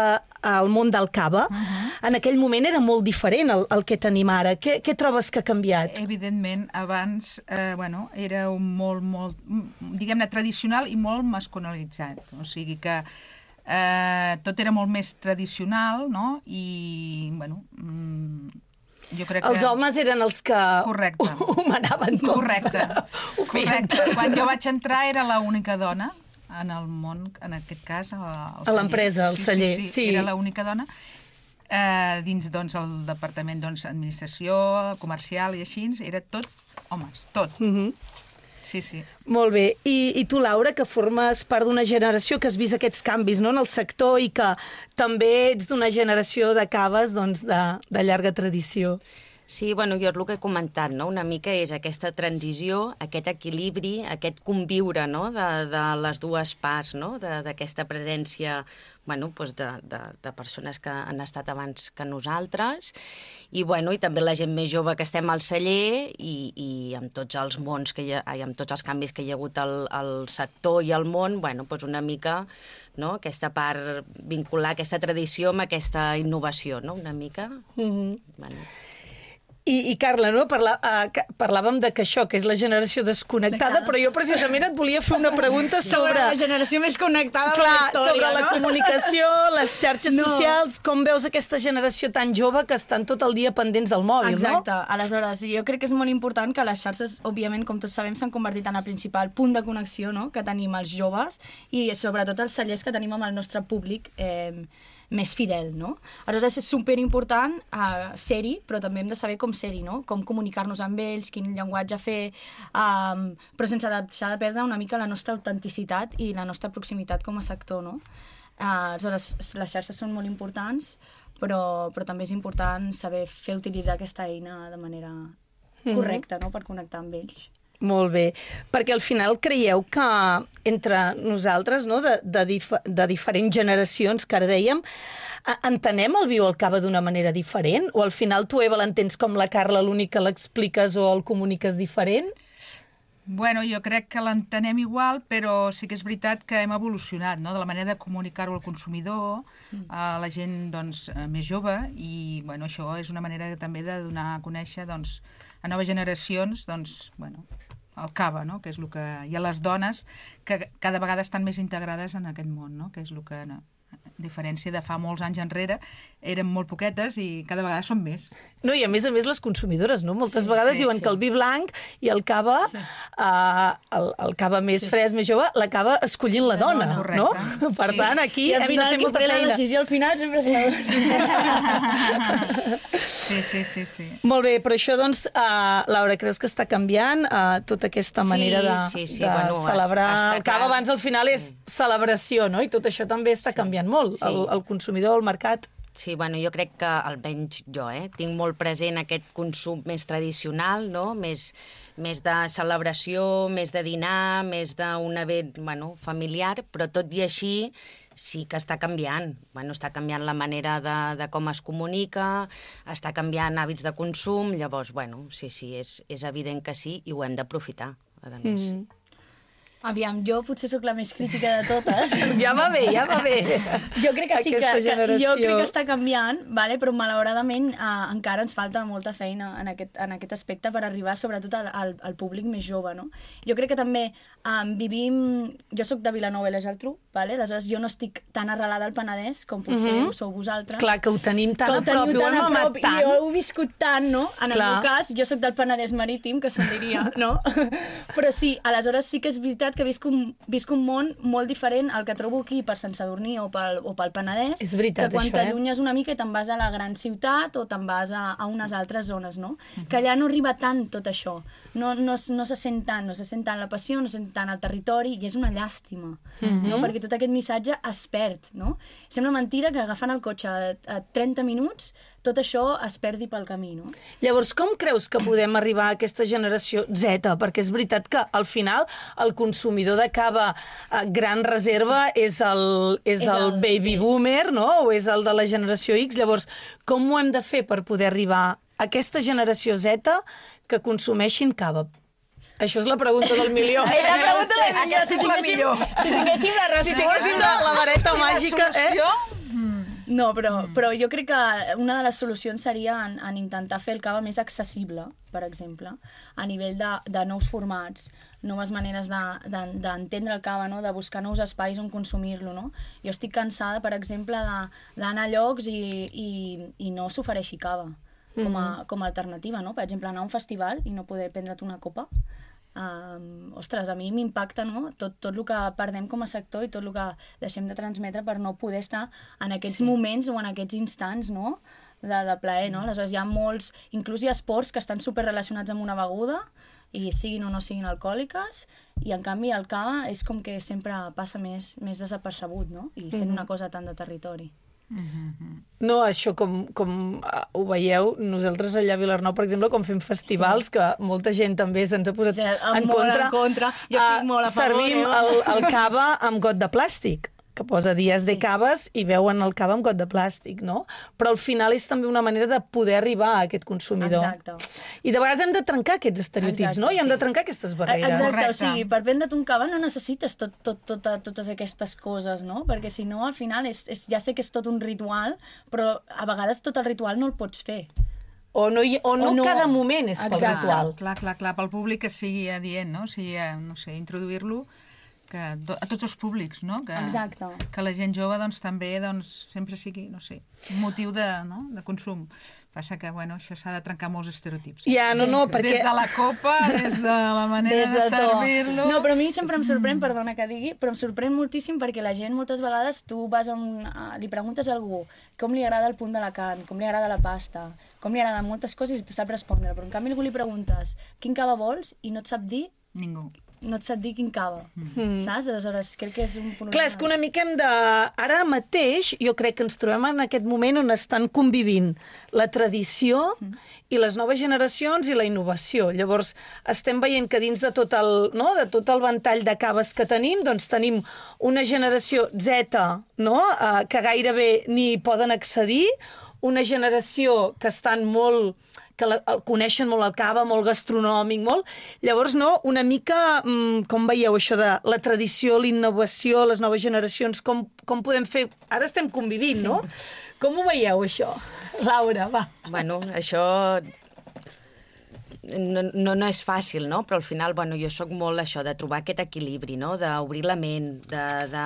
al món del cava, uh-huh. en aquell moment era molt diferent el, el que tenim ara. Què, què trobes que ha canviat? Evidentment, abans eh, bueno, era un molt, molt, diguem-ne, tradicional i molt masculinitzat. O sigui que eh, tot era molt més tradicional, no? I, bueno... Mm, jo crec que... Els homes eren els que Correcte. ho, ho manaven tot. Correcte. Correcte. Quan jo vaig entrar era l'única dona en el món, en aquest cas, al celler. A l'empresa, al celler. Sí, sí, sí, sí. Era l'única dona. Eh, dins doncs, el departament doncs, administració, comercial i així, era tot homes, tot. Mhm. Sí, sí. Molt bé. I, I tu, Laura, que formes part d'una generació que has vist aquests canvis, no?, en el sector i que també ets d'una generació de caves doncs, de, de llarga tradició. Sí, bueno, jo és el que he comentat, no? Una mica és aquesta transició, aquest equilibri, aquest conviure, no? de, de les dues parts, no? D'aquesta presència, bueno, doncs de, de, de persones que han estat abans que nosaltres, i, bueno, i també la gent més jove que estem al celler, i, i amb tots els mons que hi ha, i amb tots els canvis que hi ha hagut al, al sector i al món, bueno, doncs una mica, no? Aquesta part, vincular aquesta tradició amb aquesta innovació, no? Una mica. Mm-hmm. Bueno. I, i Carla, no? Parla, uh, parlàvem de que això, que és la generació desconnectada, però jo precisament et volia fer una pregunta sobre... Sobre la generació més connectada Clar, de la història, sobre la no? comunicació, les xarxes No. socials, com veus aquesta generació tan jove que estan tot el dia pendents del mòbil, Exacte. no? Aleshores, jo crec que és molt important que les xarxes, òbviament, com tots sabem, s'han convertit en el principal punt de connexió, no?, que tenim els joves i sobretot els cellers que tenim amb el nostre públic eh, més fidel, no? Aleshores és superimportant uh, ser-hi, però també hem de saber com ser-hi, no? Com comunicar-nos amb ells, quin llenguatge fer, um, però sense deixar de perdre una mica la nostra autenticitat i la nostra proximitat com a sector, no? Uh, aleshores, les xarxes són molt importants, però, però també és important saber fer utilitzar aquesta eina de manera correcta, no?, per connectar amb ells. Molt bé, perquè al final creieu que entre nosaltres, no, de, de, dif de diferents generacions, que ara dèiem, entenem el viu al cava d'una manera diferent? O al final tu, Eva, l'entens com la Carla, l'únic que l'expliques o el comuniques diferent? Bueno, jo crec que l'entenem igual, però sí que és veritat que hem evolucionat, no?, de la manera de comunicar-ho al consumidor, a la gent, doncs, més jove, i, bueno, això és una manera també de donar a conèixer, doncs, a noves generacions, doncs, bueno, el cava, no?, que és el que... Hi ha les dones que cada vegada estan més integrades en aquest món, no?, que és el que... No, a diferència de fa molts anys enrere, eren molt poquetes i cada vegada són més. No, i a més a més les consumidores, no? Moltes Sí, vegades sí, diuen sí. que el vi blanc i el cava, sí. uh, el, el cava més Sí. fresc, més jove, l'acaba escollint la dona, dona, no? correcte. Per Sí. tant, aquí I al hem de final fer qui molta pren la feina. decisió al final sempre és la dona. Sí, sí, sí, sí. Molt bé, però això, doncs, uh, Laura, creus que està canviant uh, tota aquesta manera de, sí, sí, de bueno, celebrar està el cava? clar. Abans, al final, és celebració, no? I tot això també està canviant molt, Sí. el, el consumidor, el mercat. Sí, bueno, jo crec que, almenys jo, eh, tinc molt present aquest consum més tradicional, no?, més, més de celebració, més de dinar, més d'un event, bueno, familiar, però tot i així sí que està canviant. Bueno, està canviant la manera de, de com es comunica, està canviant hàbits de consum, llavors, bueno, sí, sí, és, és evident que sí i ho hem d'aprofitar, a més. Mm. Aviam, jo potser sóc la més crítica de totes. Ja va bé, ja va bé. Jo crec que sí que, Aquesta que generació. jo crec que està canviant, vale? Però malauradament eh, encara ens falta molta feina en aquest, en aquest aspecte per arribar sobretot al, al, al públic més jove, no? Jo crec que també eh, vivim... Jo sóc de Vilanova i la Geltrú, vale? Aleshores jo no estic tan arrelada al Penedès com potser Mhm. ho sou vosaltres. Clar, que ho tenim tan Que a prop, teniu ho tan hem a amat prop, tant. I jo ho he viscut tant, no? En el Clar. meu cas, jo sóc del Penedès marítim, que se'n diria, no? Però sí, aleshores sí que és veritat que visc un, visc un món molt diferent al que trobo aquí per Sant Sadurní o pel, o pel Penedès. És veritat, que quan això, eh? t'allunyes una mica i te'n vas a la gran ciutat o te'n vas a, a unes altres zones, no? Que allà no arriba tant tot això. No, no, no se sent tant, no se sent tant la passió, no se sent tant el territori, i és una llàstima, Mhm. no? Perquè tot aquest missatge es perd, no? Sembla mentira que agafant el cotxe a, a trenta minuts tot això es perdi pel camí, no? Llavors, com creus que podem arribar a aquesta generació Z? Perquè és veritat que, al final, el consumidor de cava a gran reserva sí. és, el, és, És el, el- baby boomer, no? O és el de la generació X. Llavors, com ho hem de fer per poder arribar a aquesta generació Z que consumeixin cava? Això és la pregunta del milió. Ai, la pregunta del milió, Aquesta és la tinguéssim- millor. si tinguéssim la Si resposta. tinguéssim la, la vareta I la màgica, eh? solució? No, però, però jo crec que una de les solucions seria en, en intentar fer el cava més accessible, per exemple, a nivell de, de nous formats, noves maneres d'entendre de, de, de el cava, no? De buscar nous espais on consumir-lo, no? Jo estic cansada, per exemple, d'anar a llocs i, i, i no s'ofereixi cava com a, com a alternativa, no? Per exemple, anar a un festival i no poder prendre't una copa. Um, ostres, a mi m'impacta, no? Tot, tot el que perdem com a sector i tot el que deixem de transmetre per no poder estar en aquests sí. moments o en aquests instants, no? De, de plaer, no? Aleshores hi ha molts, inclús hi ha esports que estan superrelacionats amb una beguda i siguin o no siguin alcohòliques, i en canvi el cava és com que sempre passa més, més desapercebut, no? I sent Mhm. una cosa tant de territori. No, això com, com uh, ho veieu, nosaltres allà a Vilarnou, per exemple, com fem festivals, sí. que molta gent també se'ns ha posat sí, en, molt contra, en contra, jo estic molt a favor. Servim eh? el, el cava amb got de plàstic, que posa dies de caves i veuen el cava amb got de plàstic, no? Però al final és també una manera de poder arribar a aquest consumidor. Exacte. I de vegades hem de trencar aquests estereotips, Exacte, no? I hem sí. de trencar aquestes barreres. Exacte, Correcte. o sigui, per vendre't un cava no necessites tot, tot, tot, totes aquestes coses, no? Perquè si no, al final, és, és, ja sé que és tot un ritual, però a vegades tot el ritual no el pots fer. O no, hi, o no, o no cada moment és pel Exacte. ritual. Clar, clar, clar, pel públic que sigui adient, no? O sigui, eh, no sé, introduir-lo que do, a tots els públics, no? Que, Exacte. que la gent jove doncs, també doncs, sempre sigui, no sé, un motiu de, no? de consum. Passa que, bueno, això s'ha de trencar molts estereotips. Ja, no, no, perquè... Des de la copa, des de la manera Des de, de servir-lo... No, però a mi sempre em sorprèn, perdona que digui, però em sorprèn moltíssim perquè la gent moltes vegades tu vas a un, a, li preguntes a algú com li agrada el punt de la carn, com li agrada la pasta, com li agraden moltes coses i tu saps respondre, però en canvi algú li preguntes quin cava vols i no et sap dir... Ningú. No et sap dir quin cava, mm. saps? Aleshores, crec que és un problema. Clar, és que una mica hem de... Ara mateix, jo crec que ens trobem en aquest moment on estan convivint la tradició mm. i les noves generacions i la innovació. Llavors, estem veient que dins de tot el, no? de tot el ventall de caves que tenim, doncs tenim una generació Z, no? uh, que gairebé ni poden accedir, una generació que estan molt... que la, el coneixen molt el cava, molt gastronòmic, molt... Llavors, no, una mica, mmm, com veieu això de la tradició, la innovació, les noves generacions, com, com podem fer... Ara estem convivint, sí. no? Com ho veieu, això? Laura, va. Bueno, això... No, no, no és fàcil, no? Però al final, bueno, jo sóc molt això, de trobar aquest equilibri, no? D'obrir la ment, de, de,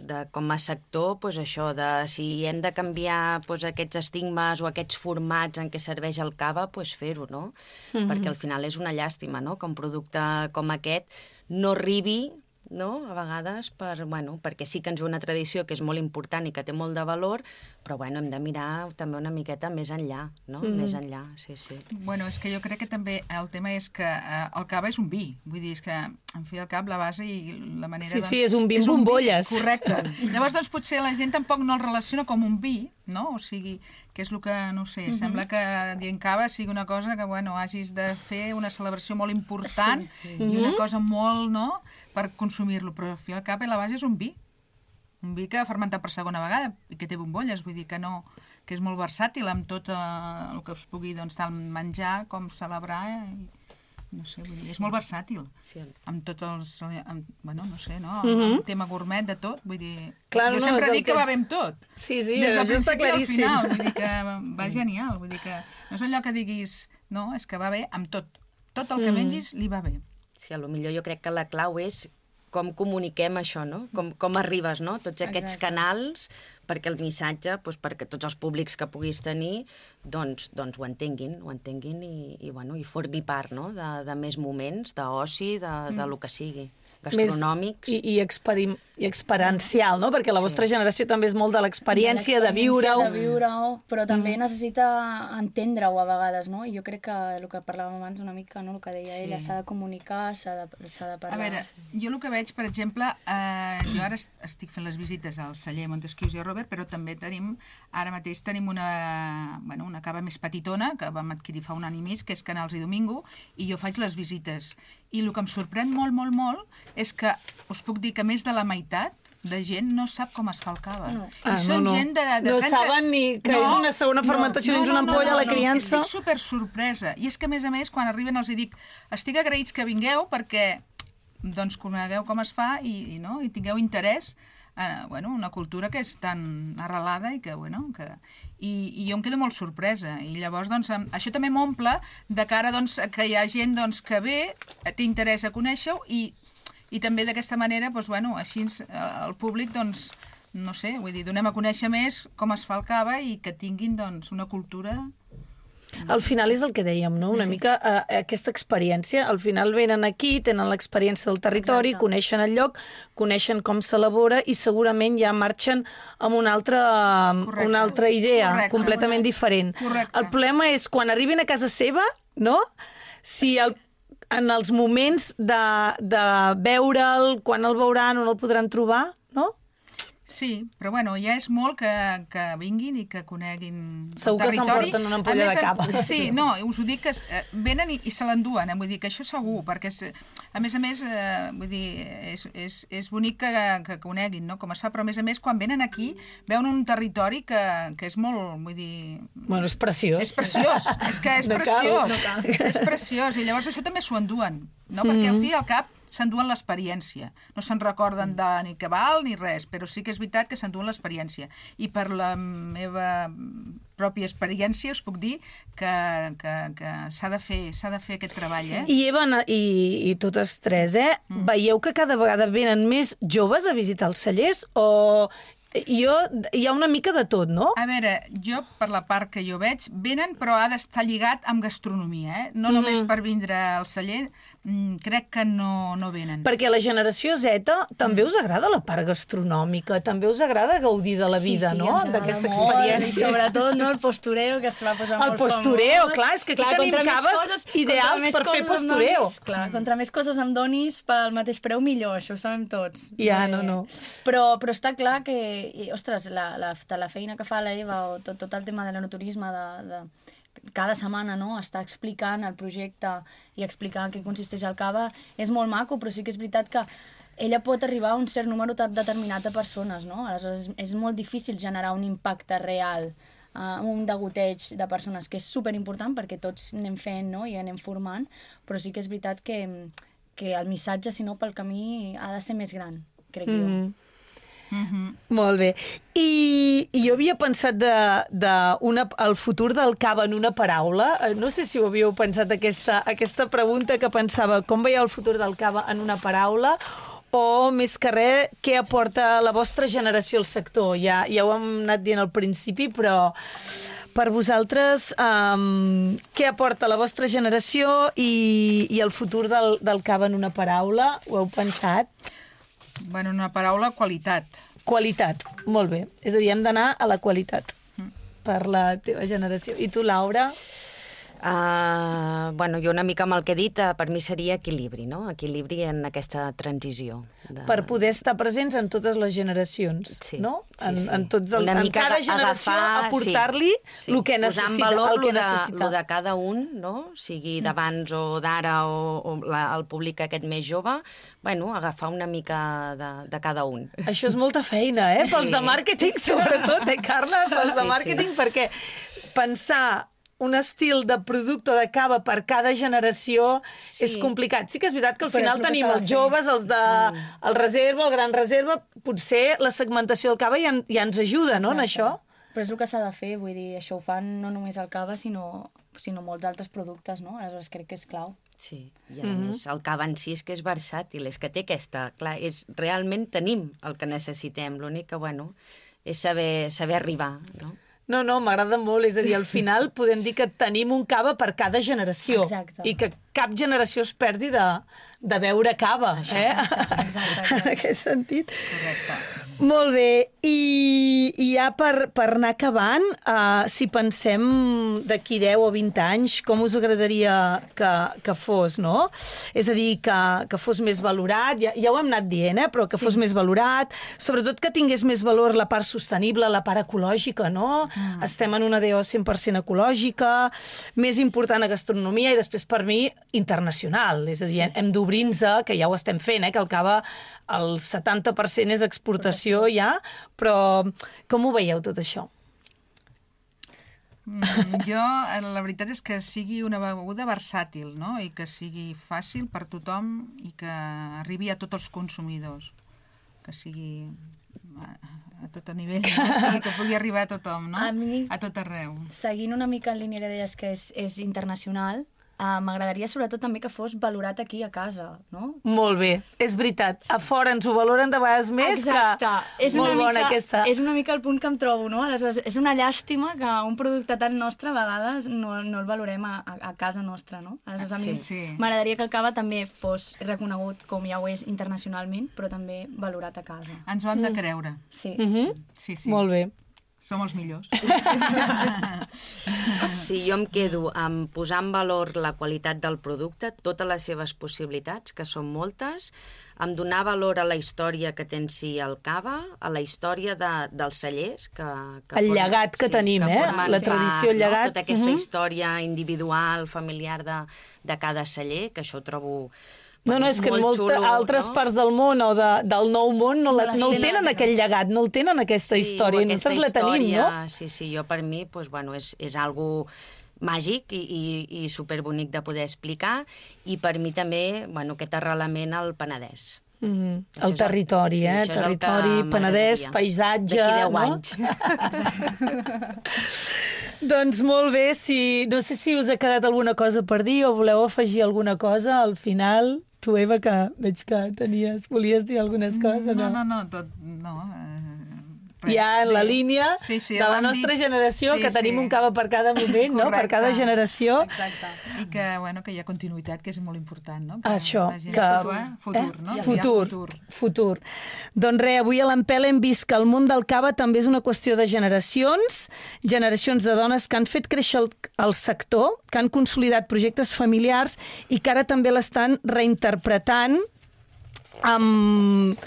de com a sector, pues això, de si hem de canviar pues, aquests estigmes o aquests formats en què serveix el cava, pues fer-ho, no? Mm-hmm. Perquè al final és una llàstima, no? Que un producte com aquest no arribi, no? A vegades, per, bueno, perquè sí que ens ve una tradició que és molt important i que té molt de valor, però bueno, hem de mirar també una miqueta més enllà, no? Mm. Més enllà, sí, sí. Bueno, és que jo crec que també el tema és que eh, el cava és un vi, vull dir, és que en fi al cap la base i la manera... Sí, doncs, sí, és un vi amb bombolles. Vi, correcte. Llavors, doncs, potser la gent tampoc no el relaciona com un vi, no? O sigui, que és el que, no sé, mm-hmm. sembla que dient cava sigui una cosa que, bueno, hagis de fer una celebració molt important sí. i mm-hmm. una cosa molt, no?, per consumir-lo, però al fi al cap la base és un vi. Un vi que ha fermentat per segona vegada i que té bombolles, vull dir que no, que és molt versàtil amb tot eh, el que es pugui, doncs, tant menjar com celebrar, eh, i, no sé, vull dir, és molt versàtil. Sí. Amb tots els, amb, bueno, no sé, no? Mm-hmm. El tema gourmet de tot, vull dir, clar, jo no, sempre dic que... que va bé amb tot. Sí, sí, des del això està claríssim. Al final, vull dir que va genial, vull dir que no és allò que diguis, no, és que va bé amb tot. Tot el que mm. mengis li va bé. Sí, a lo millor jo crec que la clau és com comuniquem això, no? Com, com arribes, no? Tots aquests Exacte. Canals perquè el missatge, doncs, perquè tots els públics que puguis tenir, doncs, doncs ho entenguin, ho entenguin i, i, bueno, i formi part, no? de, de més moments, d'oci, de, de, de lo que sigui. Gastronòmics. Més, i, i, experim, i experiencial, no? Perquè la sí. vostra generació també és molt de l'experiència, de, de viure-ho. De viure-ho, però també mm. necessita entendre-ho a vegades, no? I jo crec que el que parlàvem abans una mica, no? El que deia sí. ella, s'ha de comunicar, s'ha de, s'ha de parlar. A veure, jo el que veig, per exemple, eh, jo ara estic fent les visites al celler Montesquius i Robert, però també tenim, ara mateix tenim una, bueno, una cava més petitona, que vam adquirir fa un any i mig, que és Canals i Domingo, i jo faig les visites. I el que em sorprèn molt, molt, molt, és que us puc dir que més de la meitat de gent no sap com es fa el cava. No. I ah, són no, no. gent de, de no trenta... saben ni que no, és una segona fermentació no, dins no, una ampolla, no, no, la criança. No, estic super sorpresa. I és que, a més a més, quan arriben els hi dic estic agraïts que vingueu perquè doncs, conegueu com es fa i, i, no, i tingueu interès en bueno, una cultura que és tan arrelada i que, bueno, que... I, i jo em quedo molt sorpresa. I llavors, doncs, això també m'omple de cara doncs, que hi ha gent doncs, que ve, té interès a conèixer-ho i, i també d'aquesta manera, doncs, bueno, així el públic, doncs, no sé, vull dir, donem a conèixer més com es fa el cava i que tinguin doncs, una cultura... Al final és el que dèiem, no? Una sí. mica eh, aquesta experiència. Al final venen aquí, tenen l'experiència del territori, Exacte. Coneixen el lloc, coneixen com s'elabora i segurament ja marxen amb una altra, Correcte. Una altra idea Correcte. Completament Correcte. Diferent. Correcte. El problema és quan arribin a casa seva, no? Si el, en els moments de, de veure'l, quan el veuran, on el podran trobar, no? Sí, però bueno, ja és molt que, que vinguin i que coneguin Segur el territori. que s'emporten una ampolla més, de cava. Sí, no, us ho dic que eh, venen i, i se l'enduen, eh? Vull dir que això segur, perquè és, a més a més, eh, vull dir, és, és, és bonic que, que coneguin, no?, com es fa, però a més a més, quan venen aquí, veuen un territori que, que és molt, vull dir... Bueno, és preciós. És preciós, és que és No cal, preciós, no cal. és preciós, i llavors això també s'ho enduen, no?, perquè al fi i al cap s'enduen l'experiència. No se'n recorden de ni què val ni res, però sí que és veritat que s'enduen l'experiència. I per la meva pròpia experiència us puc dir que, que, que s'ha de fer, s'ha de fer aquest treball, eh? I Eva i, i totes tres, eh? Mm. Veieu que cada vegada venen més joves a visitar els cellers o... Jo, hi ha una mica de tot, no? A veure, jo, per la part que jo veig, venen, però ha d'estar lligat amb gastronomia, eh? No Mm. només per vindre al celler, crec que no, no venen. Perquè a la generació Z també us agrada la part gastronòmica, també us agrada gaudir de la vida, sí, sí, no? ens D'aquesta agrada molt, experiència. I sobretot, no, el postureo, que es va posar El molt postureo, famós. clar, és que aquí Clar, tenim contra més caves coses- ideals contra més per fer coses em postureo. donis, clar, contra més coses em donis, pel mateix preu millor, això ho sabem tots. Ja, Eh, no, no. Però, però està clar que, i, ostres, la, la, la feina que fa la Eva o tot, tot el tema de l'enoturisme, de, de, cada setmana, no?, està explicant el projecte i explicant què consisteix el cava, és molt maco, però sí que és veritat que ella pot arribar a un cert número determinat de persones, no? Aleshores, és, és molt difícil generar un impacte real, uh, un degoteig de persones, que és superimportant perquè tots anem fent, no?, i anem formant, però sí que és veritat que, que el missatge, si no, pel camí ha de ser més gran, crec mm. jo. Mm-hmm. Molt bé. I, I jo havia pensat de, de una, el futur del cava en una paraula. No sé si ho havíeu pensat, aquesta, aquesta pregunta que pensava, com veieu el futur del cava en una paraula? O, més que res, què aporta la vostra generació al sector? Ja, ja ho hem anat dient al principi, però per vosaltres, um, què aporta la vostra generació i, i el futur del, del cava en una paraula? Ho heu pensat? Bueno, una paraula, qualitat. Qualitat, molt bé. És a dir, hem d'anar a la qualitat per la teva generació. I tu, Laura? Uh, bueno, jo una mica amb el que he dit, uh, per mi seria equilibri, no? Equilibri en aquesta transició. De... Per poder estar presents en totes les generacions, sí, no? Sí, en, sí. en, tots el, en cada generació agafar, aportar-li sí, sí. el que necessita. Posar en valor el que de, necessita. lo de cada un, no? Sigui d'abans o d'ara o, o la, el públic aquest més jove, bueno, agafar una mica de, de cada un. Això és molta feina, eh? Pels Sí. de màrqueting, sobretot, eh, Carla? Pels de Sí, màrqueting, sí. perquè pensar un estil de producte de cava per cada generació Sí. és complicat. Sí que és veritat que al Però final és el que tenim s'ha de els fer. joves, els de mm. el reserva, el gran reserva, potser la segmentació del cava ja, ja ens ajuda, no?, en això. Però és el que s'ha de fer, vull dir, això ho fan no només el cava, sinó, sinó molts altres productes, no? Aleshores crec que és clau. Sí, i a mm-hmm. més el cava en si és que és versàtil, és que té aquesta... Clar, és, realment tenim el que necessitem, l'únic que, bueno, és saber, saber arribar, no? No, no, m'agrada molt. És a dir, al final podem dir que tenim un cava per cada generació. Exacte. I que cap generació es perdi de, de beure cava. Això, eh? Exacte, exacte. En aquest sentit. Correcte. Molt bé. I, i ja per, per anar acabant, uh, si pensem d'aquí deu o vint anys, com us agradaria que, que fos, no? És a dir, que, que fos més valorat, ja, ja ho hem anat dient, eh? Però que sí. fos més valorat, sobretot que tingués més valor la part sostenible, la part ecològica, no? Mm. Estem en una D O cent per cent ecològica, més important a gastronomia i després per mi internacional, és a dir, hem d'obrir-nos, que ja ho estem fent, eh? Que el cava el setanta per cent és exportació ja, però com ho veieu tot això? Mm, jo, la veritat és que sigui una beguda versàtil, no? I que sigui fàcil per tothom i que arribi a tots els consumidors. Que sigui a, a tot a nivell, no? Que pugui arribar a tothom, no? A mi, a tot arreu. Seguint una mica en línia que deies que és, és internacional, Uh, m'agradaria sobretot també que fos valorat aquí a casa, no? Molt bé, és veritat. A fora ens ho valoren de vegades més. Exacte. Que... És molt una bona mica, aquesta. És una mica el punt que em trobo, no? Aleshores, és una llàstima que un producte tan nostre a vegades no, no el valorem a, a, a casa nostra, no? Aleshores, a mi Sí, sí. m'agradaria que el cava també fos reconegut com ja ho és internacionalment, però també valorat a casa. Ens ho hem de creure. Sí. Mm-hmm. Sí, sí. Molt bé. Som els millors. Sí, jo em quedo amb posar en valor la qualitat del producte, totes les seves possibilitats, que són moltes, amb donar valor a la història que té en si el cava, a la història de, dels cellers. Que, que el formen, llegat que sí, tenim, que eh? formen La tradició, el part, llegat. No? Tota aquesta uh-huh. història individual, familiar de, de cada celler, que això ho trobo... No, no, és que en moltes altres no? parts del món o de, del nou món no, la, no el tenen aquell llegat, no el tenen aquesta sí, història, i nosaltres la tenim, no? Sí, sí, jo per mi pues, bueno, és, és algo màgic i, i, i superbonic de poder explicar, i per mi també bueno, aquest arrelament al Penedès. Mm-hmm. El territori, el, sí, eh? Territori, Penedès, paisatge... D'aquí deu no? anys. Doncs molt bé, si, no sé si us ha quedat alguna cosa per dir o voleu afegir alguna cosa al final. Tu, Eva, que veig que tenies, volies dir algunes coses, no? No, no, no, tot, no. Eh, ja en la línia sí, sí, de la nostra generació, sí, que tenim sí. un cava per cada moment, no? Per cada generació. Exacte. I que, bueno, que hi ha continuïtat, que és molt important, no? Per Això. Que... Futur, eh? futur, eh? no? Futur, futur. futur. Doncs res, avui a l'Empel hem vist que el món del cava també és una qüestió de generacions, generacions de dones que han fet créixer el, el sector, que han consolidat projectes familiars i que ara també l'estan reinterpretant amb...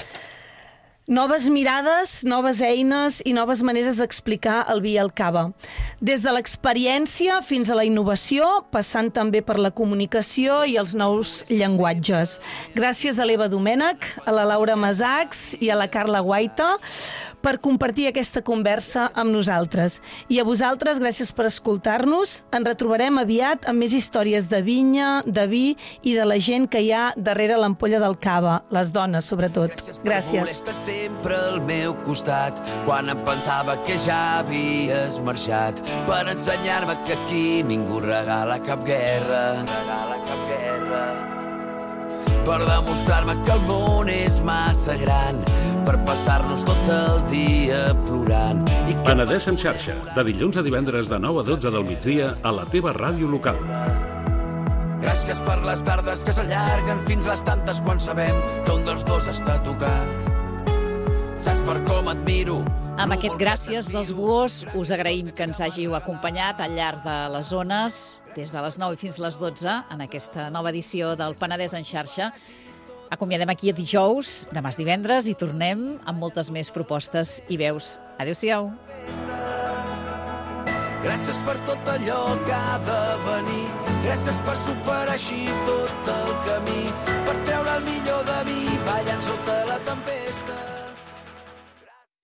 noves mirades, noves eines i noves maneres d'explicar el vi i el cava. Des de l'experiència fins a la innovació, passant també per la comunicació i els nous llenguatges. Gràcies a l'Eva Domènech, a la Laura Masacs i a la Carla Guaita per compartir aquesta conversa amb nosaltres. I a vosaltres, gràcies per escoltar-nos. Ens retrobarem aviat amb més històries de vinya, de vi i de la gent que hi ha darrere l'ampolla del cava, les dones, sobretot. Gràcies. Sempre al meu costat quan em pensava que ja havies marxat per ensenyar-me que aquí ningú regala cap guerra, regala cap guerra. Per demostrar-me que el món és massa gran per passar-nos tot el dia plorant. I que... Penedès en xarxa, de dilluns a divendres de nou a dotze del migdia a la teva ràdio local. Gràcies per les tardes que s'allarguen fins les tantes quan sabem que un dels dos està tocat. Saps per com admiro... Amb aquest gràcies dels Buós us agraïm que ens hàgiu acompanyat al llarg de les zones, des de les nou i fins les dotze, en aquesta nova edició del Penedès en xarxa. Acomiadem aquí a dijous, demà és divendres, i tornem amb moltes més propostes i veus. Adéu-siau. Gràcies per tot allò que ha de venir, gràcies per superar així tot el camí, per treure el millor